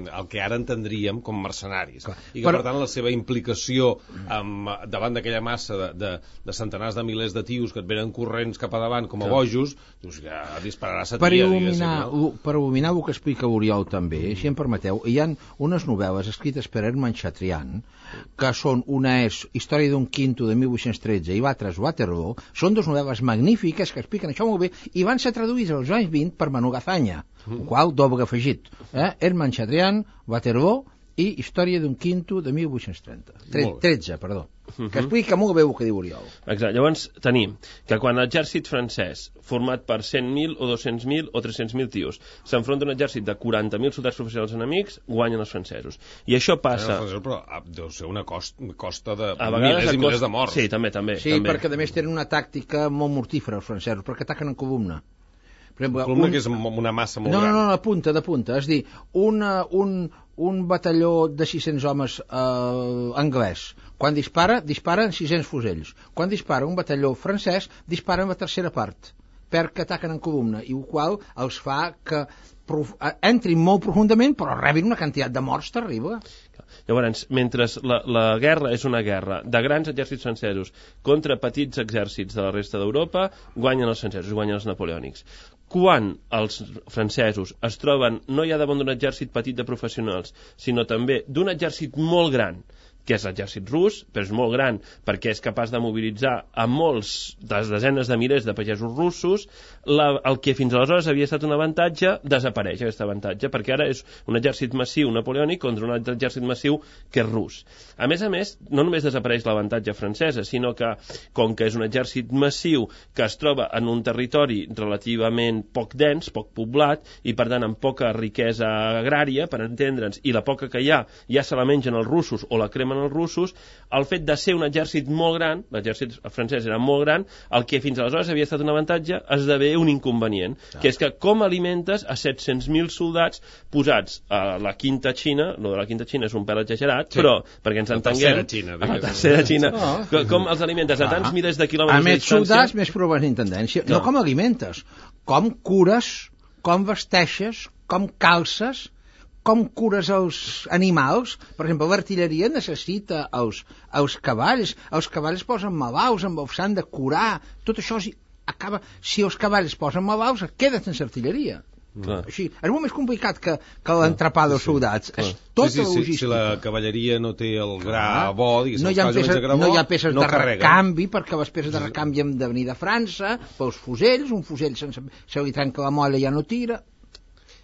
el que ara entendríem com mercenaris. Clar. I que, per... per tant, la seva implicació amb, davant d'aquella massa de, de, de centenars de milers de tios que et venen corrents cap a davant com a bojos, doncs ja dispararà sa tia, per il·luminar, no? Per il·luminar el que explica Oriol també, si em permeteu, hi ha unes novel·les escrites per Hermann Chatrian, que són una és Història d'un quinto de mil vuit-cents tretze i l'altra és Waterloo, són dues novel·les magnífiques que expliquen això molt bé i van ser traduïdes als anys vint per Manu Gazaña, el qual doble afegit, eh? Hermann Chatrian, Waterloo i Història d'un quinto de mil vuit-cents trenta. tretze, perdó. Uh-huh. Que explica molt bé el que diu Oriol. Exacte. Llavors tenim que quan l'exèrcit francès, format per cent mil o dos-cents mil o tres-cents mil tios, s'enfronta a un exèrcit de quaranta mil soldats professionals enemics, guanyen els francesos. I això passa... Francesos, però deu ser una costa, costa de milers i milers de morts. Sí, també, també. Sí, també. perquè a més tenen una tàctica molt mortífera els francesos, perquè ataquen en columna. Per exemple, columna un... que és una massa molt no, gran. No, no, de punta, de punta. És dir, una, un, un batalló de sis-cents homes eh, anglès, quan dispara, dispara en sis-cents fusells. Quan dispara un batalló francès, dispara en la tercera part, perquè ataquen en columna, i el qual els fa que prof... entrin molt profundament, però rebin una quantitat de morts terrible. Llavors, mentre la, la guerra és una guerra de grans exèrcits francesos contra petits exèrcits de la resta d'Europa, guanyen els francesos, guanyen els napoleònics. Quan els francesos es troben no ja davant d'un exèrcit petit de professionals, sinó també d'un exèrcit molt gran que és l'exèrcit rus, però és molt gran perquè és capaç de mobilitzar a molts, des desenes de milers de pagesos russos. La, el que fins aleshores havia estat un avantatge, desapareix aquest avantatge, perquè ara és un exèrcit massiu napoleònic contra un altre exèrcit massiu que és rus. A més a més, no només desapareix l'avantatge francesa, sinó que, com que és un exèrcit massiu que es troba en un territori relativament poc dens, poc poblat, i per tant amb poca riquesa agrària, per entendre'ns, i la poca que hi ha ja se la mengen els russos o la cremen els russos, el fet de ser un exèrcit molt gran, l'exèrcit francès era molt gran, el que fins aleshores havia estat un avantatge esdevé un inconvenient, ah. que és que com alimentes a set-cents mil soldats posats a la quinta Xina, no de la quinta Xina és un pèl exagerat, sí. però perquè ens entenguem, la tercera Xina, a la tercera Xina, oh. com els alimentes a tants ah. milers de quilòmetres de distància... A més soldats, més proves d'intendència. No. no com alimentes, com cures, com vesteixes, com calces, com cures els animals. Per exemple, l'artilleria necessita els, els cavalls, els cavalls posen malalts, amb els s'han de curar, tot això acaba, si els cavalls posen malalts, queda sense artilleria. Clar. Així, és molt més complicat que, que l'entrepà dels soldats. Sí, és tota sí, sí, logística. Si la cavalleria no té el gra ah, bo, diguéssim, no hi ha peces, gra bo, no hi ha peces no de carrega. recanvi, perquè les peces de recanvi han de venir de França, pels fusells, un fusell sense, se li trenca la molla ja no tira.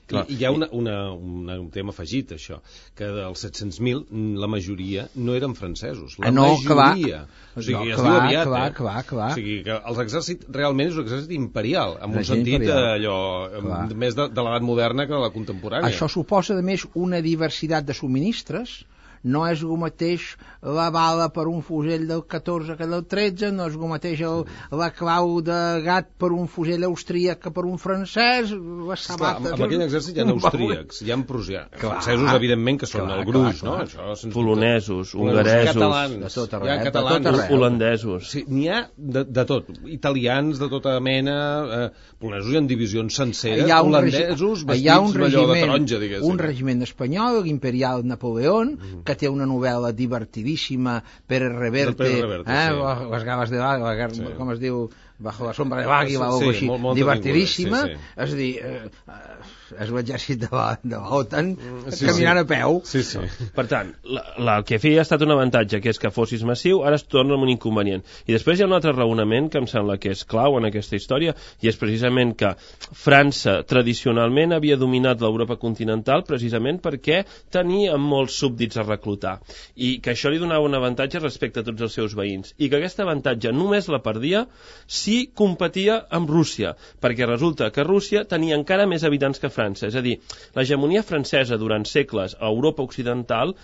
I, I hi ha una, una, una, un tema afegit, això, que dels set-cents mil, la majoria no eren francesos. La no, majoria. O sigui, no, es clar, diu aviat, clar, eh? clar, clar. O sigui, que els exèrcits realment és un exèrcit imperial, en un sentit imperial. allò, clar. més de, de l'edat moderna que de la contemporània. Això suposa, a més, una diversitat de subministres. No és el mateix la bala per un fusell del catorze que del tretze, no és el mateix el, la clau de gat per un fusell austríac que per un francès, les sabates... Amb aquell exèrcit hi ha austríacs, hi ha prussians, francesos, evidentment, que són clar, el gruix, clar, clar. no? Això, polonesos, hongaresos, catalans, de tot arreu, hi ha catalans, de tot holandesos. Sí, n'hi ha de, de tot, italians de tota mena, eh, polonesos hi ha divisions senceres, holandesos vestits d'allò de taronja, diguéssim. Un regiment espanyol, l'imperial Napoleó, mm. que té una novel·la divertidíssima per Reverte, Reverte eh? sí. les gaves de l'àguila, sí. com es diu, bajo la sombra de l'àguila, sí, o així, molt, molt divertidíssima, sí, sí. és a dir, eh, és l'exèrcit de l'OTAN sí, caminant sí. a peu. Sí, sí. Per tant, la, la, el que feia ha estat un avantatge, que és que fossis massiu, ara es torna un inconvenient. I després hi ha un altre raonament que em sembla que és clau en aquesta història, i és precisament que França tradicionalment havia dominat l'Europa continental precisament perquè tenia molts súbdits a reclutar, i que això li donava un avantatge respecte a tots els seus veïns, i que aquest avantatge només la perdia si competia amb Rússia, perquè resulta que Rússia tenia encara més habitants que França, és a dir, l'hegemonia francesa durant segles a Europa occidental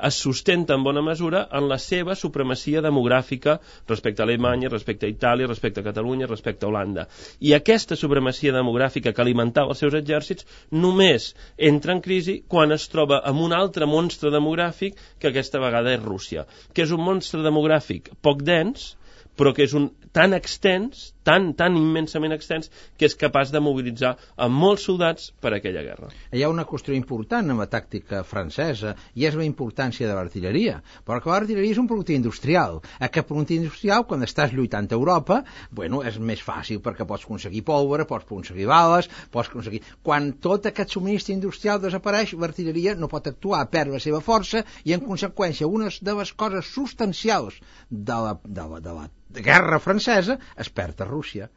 es sustenta en bona mesura en la seva supremacia demogràfica respecte a Alemanya, respecte a Itàlia, respecte a Catalunya, respecte a Holanda. I aquesta supremacia demogràfica que alimentava els seus exèrcits només entra en crisi quan es troba amb un altre monstre demogràfic que aquesta vegada és Rússia, que és un monstre demogràfic poc dens, però que és un tan extens, tan, tan immensament extens, que és capaç de mobilitzar a molts soldats per a aquella guerra. Hi ha una qüestió important en la tàctica francesa, i és la importància de l'artilleria, perquè l'artilleria és un producte industrial. Aquest producte industrial, quan estàs lluitant a Europa, bueno, és més fàcil, perquè pots aconseguir pólvora, pots aconseguir bales, pots aconseguir... Quan tot aquest subministre industrial desapareix, l'artilleria no pot actuar, perd la seva força, i en conseqüència, una de les coses substancials de la, de la, de la de guerra francesa es perd a Rússia,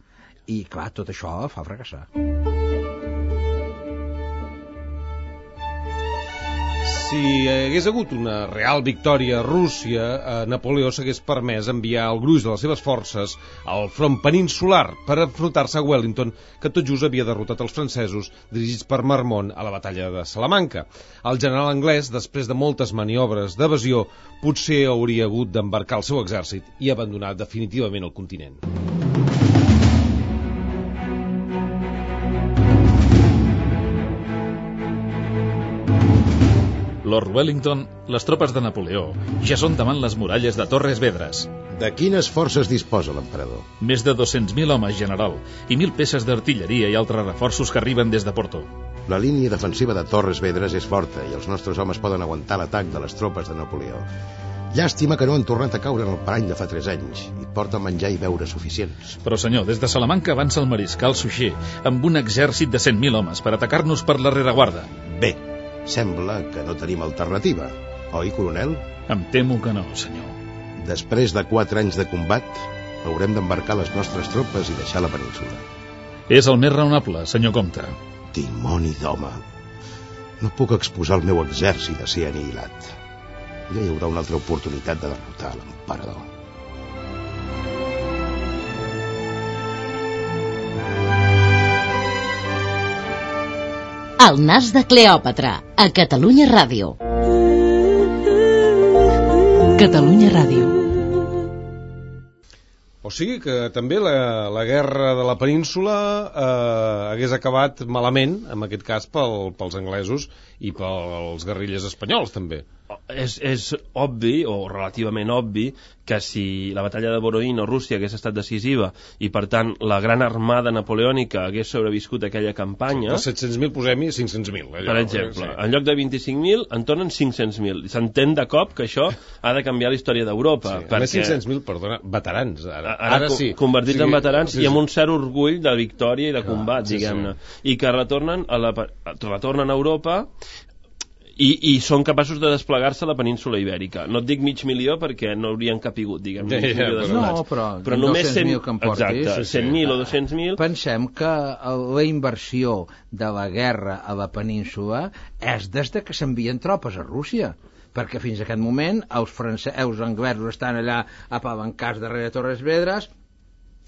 i clar, tot això fa fracassar. Si hagués hagut una real victòria a Rússia, eh, Napoleó s'hagués permès enviar el gruix de les seves forces al front peninsular per enfrontar-se a Wellington, que tot just havia derrotat els francesos dirigits per Marmont a la batalla de Salamanca. El general anglès, després de moltes maniobres d'evasió, potser hauria hagut d'embarcar el seu exèrcit i abandonar definitivament el continent. Lord Wellington, les tropes de Napoleó ja són davant les muralles de Torres Vedres. De quines forces disposa l'emperador? Més de dos-cents mil homes, general, i mil peces d'artilleria i altres reforços que arriben des de Porto. La línia defensiva de Torres Vedres és forta i els nostres homes poden aguantar l'atac de les tropes de Napoleó. Llàstima que no han tornat a caure en el parany de fa tres anys i porten menjar i beure suficients. Però senyor, des de Salamanca avança el mariscal Suchet amb un exèrcit de cent mil homes per atacar-nos per la rereguarda. Bé, sembla que no tenim alternativa. oi, coronel? Em temo que no, senyor. Després de quatre anys de combat, haurem d'embarcar les nostres tropes i deixar la península. És el més raonable, senyor comte. Dimoni d'home. No puc exposar el meu exèrcit a ser anihilat. Ja hi haurà una altra oportunitat de derrotar l'emperador. El nas de Cleòpatra, a Catalunya Ràdio. Catalunya Ràdio. O sigui que també la, la guerra de la península eh, hagués acabat malament, en aquest cas pel, pels anglesos i pels guerrillers espanyols també. És, és obvi, o relativament obvi, que si la batalla de Borodino a Rússia hagués estat decisiva i per tant la gran armada napoleònica hagués sobreviscut a aquella campanya... Sí, dels set-cents mil posem-hi cinc-cents mil. Per exemple, sí. En lloc de vint-i-cinc mil en tornen cinc-cents mil. S'entén de cop que això ha de canviar la història d'Europa. Sí, perquè... A més cinc-cents mil, perdona, veterans. Ara, ara, ara sí. Convertits sí, en veterans sí, sí. I amb un cert orgull de victòria i de combat, sí, diguem-ne. Sí. I que retornen a, la, retornen a Europa... I, i són capaços de desplegar-se a la península ibèrica. No et dic mig milió perquè no haurien capigut, diguem, mig milió de soldats. No, però, però només cent mil que em portis. Exacte, cent mil o dos-cents mil. Pensem que la inversió de la guerra a la península és des de que s'envien tropes a Rússia, perquè fins a aquest moment els francesos, els anglesos estan allà apalancats darrere Torres Vedras,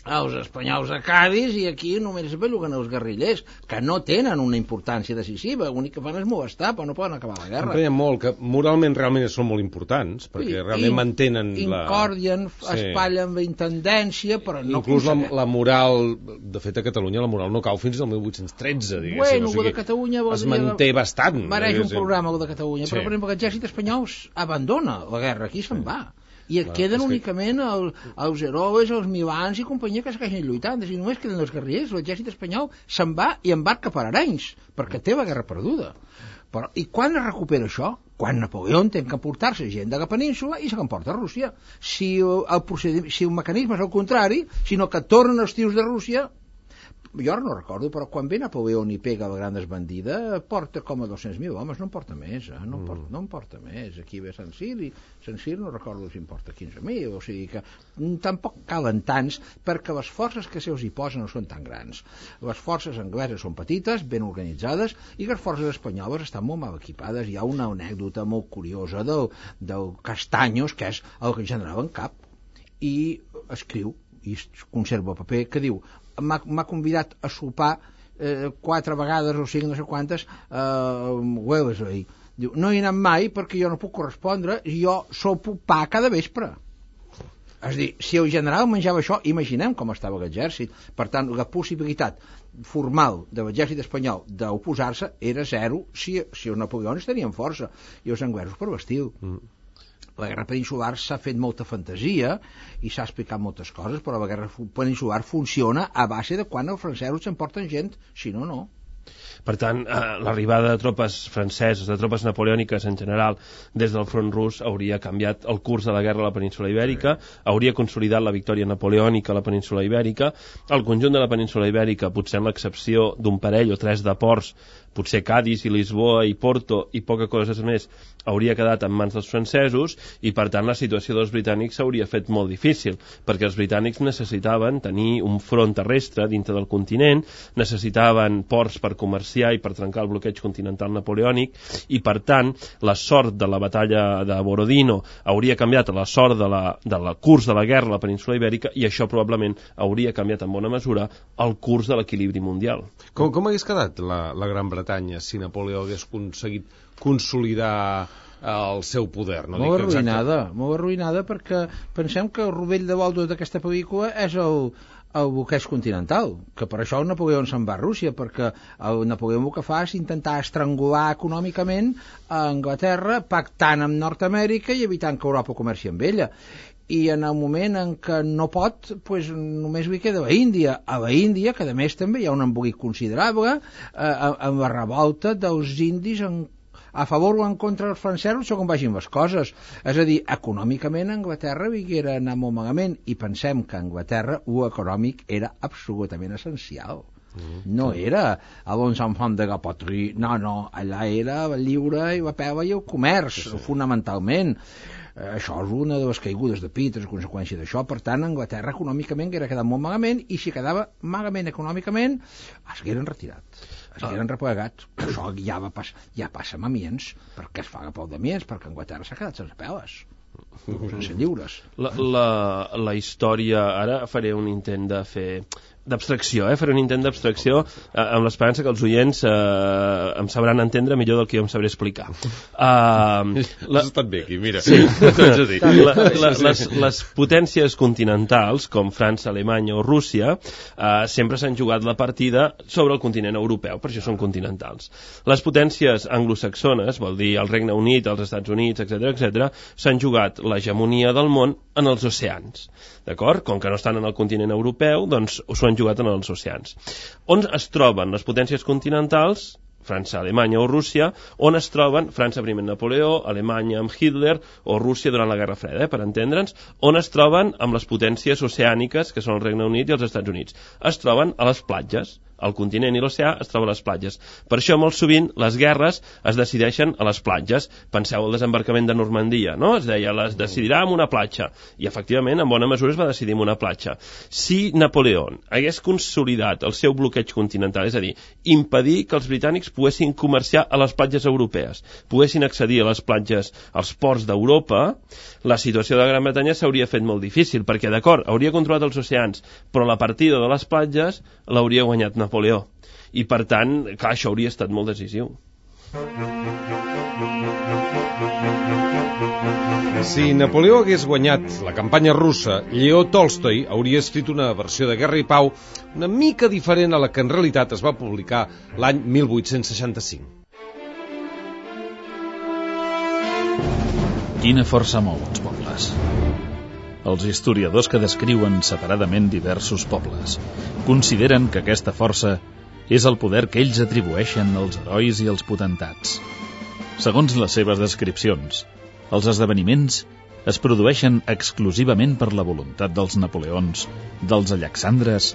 els espanyols a Cádiz, i aquí només es belluguen els guerrillers, que no tenen una importància decisiva, l'únic que fan és molestar, però no poden acabar la guerra. Em molt que moralment realment són molt importants, perquè sí, realment mantenen la... Incordien, sí. Espatllen la intendència, però no... Inclús la, la moral, de fet a Catalunya la moral no cau fins al mil vuit-cents tretze, diguéssim. Bueno, o sigui, de Catalunya... Es manté bastant. Mereix un programa, el de Catalunya, sí. Però per exemple l'exèrcit espanyol abandona la guerra, aquí se'n va. I et queden únicament el, els herois, els milans i companyia que segueixen lluitant. És a dir, només queden els guerrillers. L'exèrcit espanyol se'n va i embarca per Arenys, perquè té la guerra perduda. Però, i quan es recupera això? Quan Napoleó té que emportar-se gent de la península i se l'emporta a Rússia. Si el, procediment, si el mecanisme és el contrari, sinó que tornen els tios de Rússia... Jo ara no recordo, però quan ve Napoleó i pega la gran desbandida, porta com a dos-cents mil homes, no en porta més, eh? no, en porta, no en porta més. Aquí ve Sant Cir, i Sant Cir no recordo si en porta quinze mil, o sigui que tampoc calen tants, perquè les forces que se'ls hi posen no són tan grans. Les forces angleses són petites, ben organitzades, i les forces espanyoles estan molt mal equipades. Hi ha una anècdota molt curiosa del, del Castaños, que és el general en cap, i escriu, i conserva el paper, que diu: m'ha convidat a sopar eh, quatre vegades o cinc, no sé quantes, eh, Wellesley. Diu, no hi he anat mai perquè jo no puc correspondre, jo sopo pa cada vespre. És a dir, si el general menjava això, imaginem com estava l'exèrcit. Per tant, la possibilitat formal de l'exèrcit espanyol d'oposar-se era zero si, si els napoleons tenien força i els anglesos per l'estil. Mm. La guerra peninsular s'ha fet molta fantasia i s'ha explicat moltes coses, però la guerra peninsular funciona a base de quan els francesos s'emporten gent, si no, no. Per tant, eh, l'arribada de tropes franceses, de tropes napoleòniques en general, des del front rus hauria canviat el curs de la guerra a la península ibèrica, hauria consolidat la victòria napoleònica a la península ibèrica, el conjunt de la península ibèrica, potser amb l'excepció d'un parell o tres de ports, potser Cádiz i Lisboa i Porto i poca coses més, hauria quedat en mans dels francesos, i per tant la situació dels britànics s'hauria fet molt difícil, perquè els britànics necessitaven tenir un front terrestre dintre del continent, necessitaven ports per comerciar i per trencar el bloqueig continental napoleònic, i per tant la sort de la batalla de Borodino hauria canviat a la sort de la, de la curs de la guerra a la península ibèrica, i això probablement hauria canviat en bona mesura el curs de l'equilibri mundial. Com, com hagués quedat la, la Gran Bretanya si Napoleó hagués aconseguit consolidar el seu poder? No molt arruïnada, molt arruïnada, perquè pensem que el rovell de vol d'aquesta pel·lícula és el, el bloqueig continental, que per això el Napoleó se'n va a Rússia, perquè el Napoleó el que fa és intentar estrangular econòmicament a Anglaterra, pactant amb Nord-Amèrica i evitant que Europa comerci amb ella. I en el moment en què no pot, pues, només li queda la Índia. A la Índia, que a més també hi ha un embolic considerable, eh, amb la revolta dels indis en, a favor o en contra dels francesos, segons vagin les coses. És a dir, econòmicament Anglaterra vinguera a anar molt malament, i pensem que a Anglaterra l'econòmic era absolutament essencial. No era a l'ons enfants de la patrie, no, no, allà era la lliure i la pela i el comerç, sí, sí. fonamentalment. Això és una de les caigudes de pit, és conseqüència d'això. Per tant, Anglaterra econòmicament era quedat molt malament, i si quedava malament econòmicament es queden retirats, es queden ah. replegats. Això ja, va pas, ja passa amb Amiens, perquè es fa la pau d'Amiens, perquè Anglaterra s'ha quedat sense peles, sense lliures. La, la, la història, ara faré un intent de fer d'abstracció, eh? faré un intent d'abstracció eh, amb l'esperança que els oients eh, em sabran entendre millor del que jo em sabré explicar. Uh, la... Has estat bé aquí, mira. Sí. la, la, les, les potències continentals, com França, Alemanya o Rússia, eh, sempre s'han jugat la partida sobre el continent europeu, per això són continentals. Les potències anglosaxones, vol dir el Regne Unit, els Estats Units, etcètera, etcètera, s'han jugat l'hegemonia del món en els oceans. D'acord? Com que no estan en el continent europeu, doncs s'ho han jugat en els oceans. On es troben les potències continentals? França, Alemanya o Rússia, on es troben França primer amb Napoleó, Alemanya amb Hitler o Rússia durant la Guerra Freda, eh, per entendre'ns, on es troben amb les potències oceàniques, que són el Regne Unit i els Estats Units. Es troben a les platges. El continent i l'oceà es troben a les platges. Per això, molt sovint, les guerres es decideixen a les platges. Penseu el desembarcament de Normandia, no? Es deia, les decidirà en una platja. I, efectivament, en bona mesura es va decidir en una platja. Si Napoleó hagués consolidat el seu bloqueig continental, és a dir, impedir que els britànics poguessin comerciar a les platges europees, poguessin accedir a les platges, als ports d'Europa, la situació de Gran Bretanya s'hauria fet molt difícil, perquè, d'acord, hauria controlat els oceans, però la partida de les platges l'hauria guanyat Napoleó. I, per tant, clar, això hauria estat molt decisiu. Si Napoleó hagués guanyat la campanya russa, Lleó Tolstoi hauria escrit una versió de Guerra i Pau una mica diferent a la que en realitat es va publicar l'any mil vuit-cents seixanta-cinc. Quina força mou uns pobles. Els historiadors que descriuen separadament diversos pobles consideren que aquesta força és el poder que ells atribueixen als herois i als potentats. Segons les seves descripcions, els esdeveniments es produeixen exclusivament per la voluntat dels Napoleons, dels Alexandres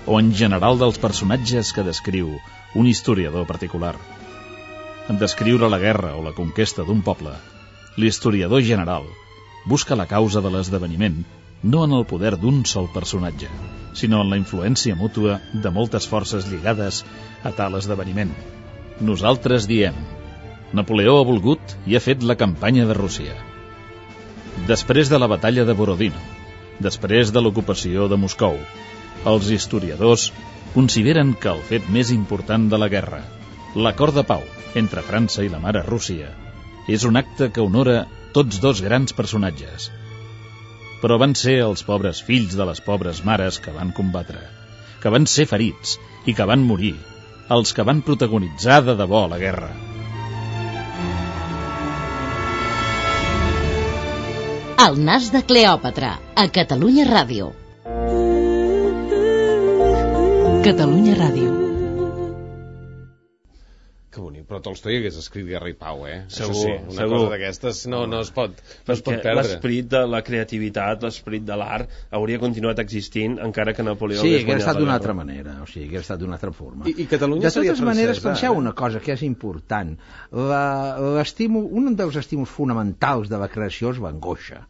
o en general dels personatges que descriu un historiador particular. En descriure la guerra o la conquesta d'un poble, l'historiador general busca la causa de l'esdeveniment no en el poder d'un sol personatge, sinó en la influència mútua de moltes forces lligades a tal esdeveniment. Nosaltres diem: Napoleó ha volgut i ha fet la campanya de Rússia. Després de la batalla de Borodino, després de l'ocupació de Moscou, els historiadors consideren que el fet més important de la guerra, l'acord de pau entre França i la mare Rússia, és un acte que honora tots dos grans personatges. Però van ser els pobres fills de les pobres mares que van combatre, que van ser ferits i que van morir, els que van protagonitzar de debò la guerra. El nas de Cleòpatra, a Catalunya Ràdio. Catalunya Ràdio. Que bonic, però Tolstoi hagués escrit Guerra i Pau, eh? Segur, Això sí, una segur. cosa d'aquestes no, no es pot, no es pot perdre. L'esperit de la creativitat, l'esperit de l'art, hauria continuat existint encara que Napoleó sí, hagués guanyat la guerra. Sí, estat d'una altra manera, o sigui, hagués estat d'una altra forma. I, i Catalunya de seria totes maneres, francesa, penseu eh? una cosa que és important. L'estímul, un dels estímuls fonamentals de la creació és l'angoixa.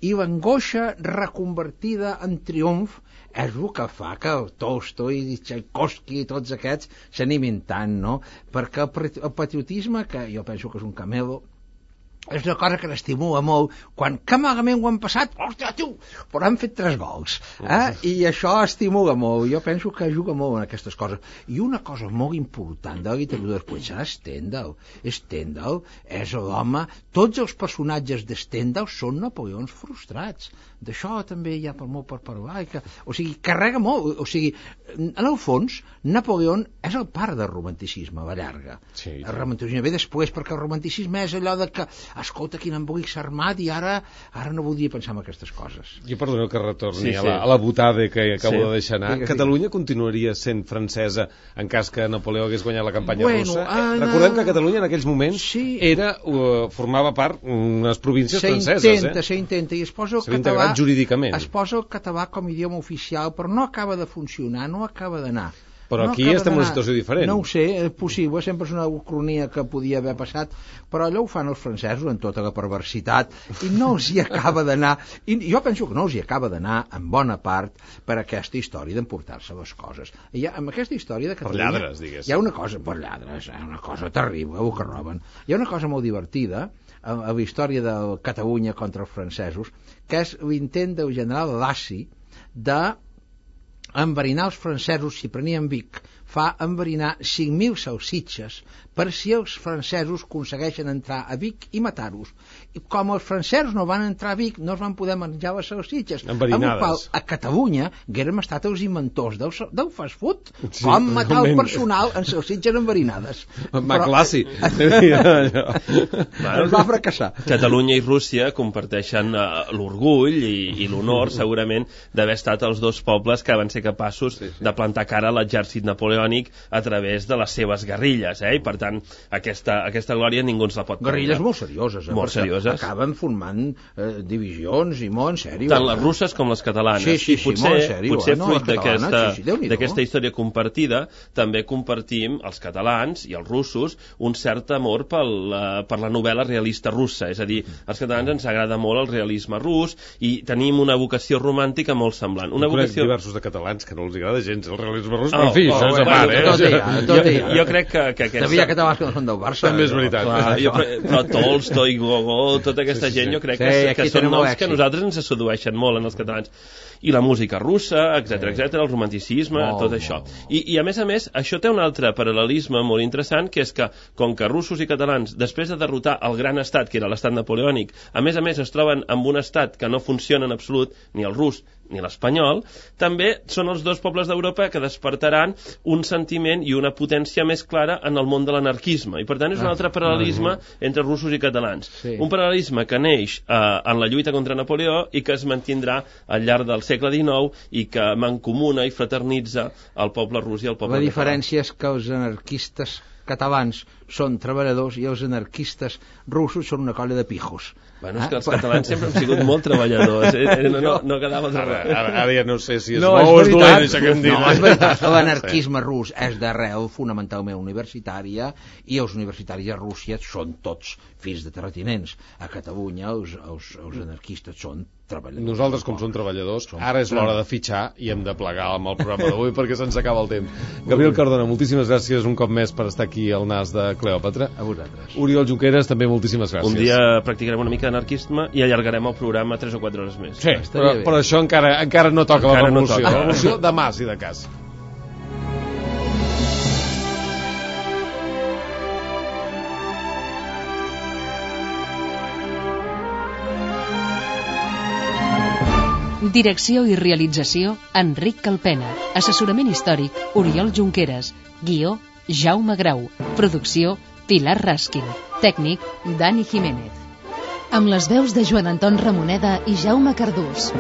I l'angoixa reconvertida en triomf és el que fa que el Tolstoi i Tchaikovsky i tots aquests s'animin tant, no? Perquè el patriotisme, que jo penso que és un camelo, és una cosa que l'estimula molt quan que malament ho han passat, hòstia, tu, però han fet tres gols, eh? I això estimula molt. Jo penso que juga molt en aquestes coses. I una cosa molt important de la literatura després serà Stendhal. Stendhal és l'home, tots els personatges de Stendhal són napoleons frustrats. D'això també hi ha per molt per parlar, que, o sigui, carrega molt, o sigui, en el fons Napoleó és el pare del romanticisme a la llarga. Sí, sí. El romanticisme ve després, perquè el romanticisme és allò de que escolta, quin embolic s'ha armat i ara ara no voldria pensar en aquestes coses. Jo perdoneu que retorni sí, sí. A, la, a la botada que acabo sí. de deixar anar. Sí, Catalunya sí. continuaria sent francesa en cas que Napoleó hagués guanyat la campanya bueno, russa? Anna... Recordem que Catalunya en aquells moments sí. era, uh, formava part unes províncies franceses. S'intenta, eh? s'intenta, i es posa el S'ha català jurídicament. es posa el català com a idioma oficial, però no acaba de funcionar, no acaba d'anar. Però no aquí estem en una situació diferent. No ho sé, és possible, sempre és una ucronia que podia haver passat, però allò ho fan els francesos en tota la perversitat i no els hi acaba d'anar, i jo penso que no els hi acaba d'anar en bona part per aquesta història d'emportar-se les coses. I ha, amb aquesta història de Catalunya... Per lladres, digues. Hi ha una cosa, per lladres, hi ha una cosa terrible, el que roben. Hi ha una cosa molt divertida a, a la història de Catalunya contra els francesos, que és l'intent del general Lacy de enverinar els francesos si prenien Vic, fa enverinar cinc mil salsitxes per si els francesos aconsegueixen entrar a Vic i matar-los. I com els francesos no van entrar a Vic, no es van poder menjar les salsitxes. Enverinades. Amb el qual, a Catalunya, haguérem estat els inventors del, del fast food. Sí, com matar el personal en salsitxes enverinades. Maclassi. Bueno, va fracassar. Catalunya i Rússia comparteixen uh, l'orgull i, i l'honor, segurament, d'haver estat els dos pobles que van ser capaços sí, sí. de plantar cara a l'exèrcit napoleònic a través de les seves guerrilles, eh? I per tant, aquesta, aquesta glòria ningú ens la pot prendre. Guerrilles molt serioses, eh? Molt serioses. Acaben formant eh, divisions i molt en sèrio. Tant les russes com les catalanes. Sí, sí, sí, potser, molt en sèrio. Potser eh? no, fruit d'aquesta sí, sí, d'aquesta història compartida, també compartim, els catalans i els russos, un cert amor pel, uh, per la novel·la realista russa. És a dir, als catalans ens agrada molt el realisme rus i tenim una vocació romàntica molt semblant. Una jo vocació... diversos de catalans que no els agrada gens el realisme rus, oh, però en fi, oh, això és a part, eh? Tot hi ha, tot hi ha. Jo, jo crec que, que aquesta... També hi ha catalans que no són del Barça. També és veritat. Clar, jo, però Tolstoi, Gogó, tota aquesta sí, sí, gent, jo crec sí, que, que són noms que a nosaltres ens sedueixen molt en els catalans. I la música russa, etcètera, etcètera, el romanticisme, molt, tot això. I, I a més a més, això té un altre paral·lelisme molt interessant, que és que, com que russos i catalans, després de derrotar el gran estat, que era l'estat napoleònic, a més a més es troben amb un estat que no funciona en absolut, ni el rus ni l'espanyol, també són els dos pobles d'Europa que despertaran un sentiment i una potència més clara en el món de l'anarquisme. I per tant és un altre paral·lelisme entre russos i catalans. Sí. Un paral·lelisme que neix eh, en la lluita contra Napoleó i que es mantindrà al llarg del segle dinou i que mancomuna i fraternitza el poble rus i el poble català. La diferència català. és que els anarquistes catalans són treballadors i els anarquistes russos són una colla de pijos. Bueno, és que els catalans sempre hem sigut molt treballadors, eh? no, no, no quedava ara, ara, ara ja no sé si és no, bo o és dolent, això que em diuen. No, és veritat, l'anarquisme sí. rus és d'arrel fonamentalment universitària i els universitaris a Rússia són tots fills de terratinents. A Catalunya els, els, els anarquistes són treballadors. Nosaltres, com som treballadors, ara és l'hora de fitxar i hem de plegar amb el programa d'avui perquè se'ns acaba el temps. Gabriel Cardona, moltíssimes gràcies un cop més per estar aquí al nas de Cleòpatra. A vosaltres. Oriol Junqueras, també moltíssimes gràcies. Un dia practicarem una mica d'anarquisme i allargarem el programa tres o quatre hores més. Sí, però, però això encara, encara no toca encara la revolució. No toca. La revolució demà, si de cas. Direcció i realització, Enric Calpena. Assessorament històric, Oriol Junqueras. Guió, Jaume Grau. Producció, Pilar Raskin. Tècnic, Dani Jiménez. Amb les veus de Joan Anton Ramoneda i Jaume Cardús.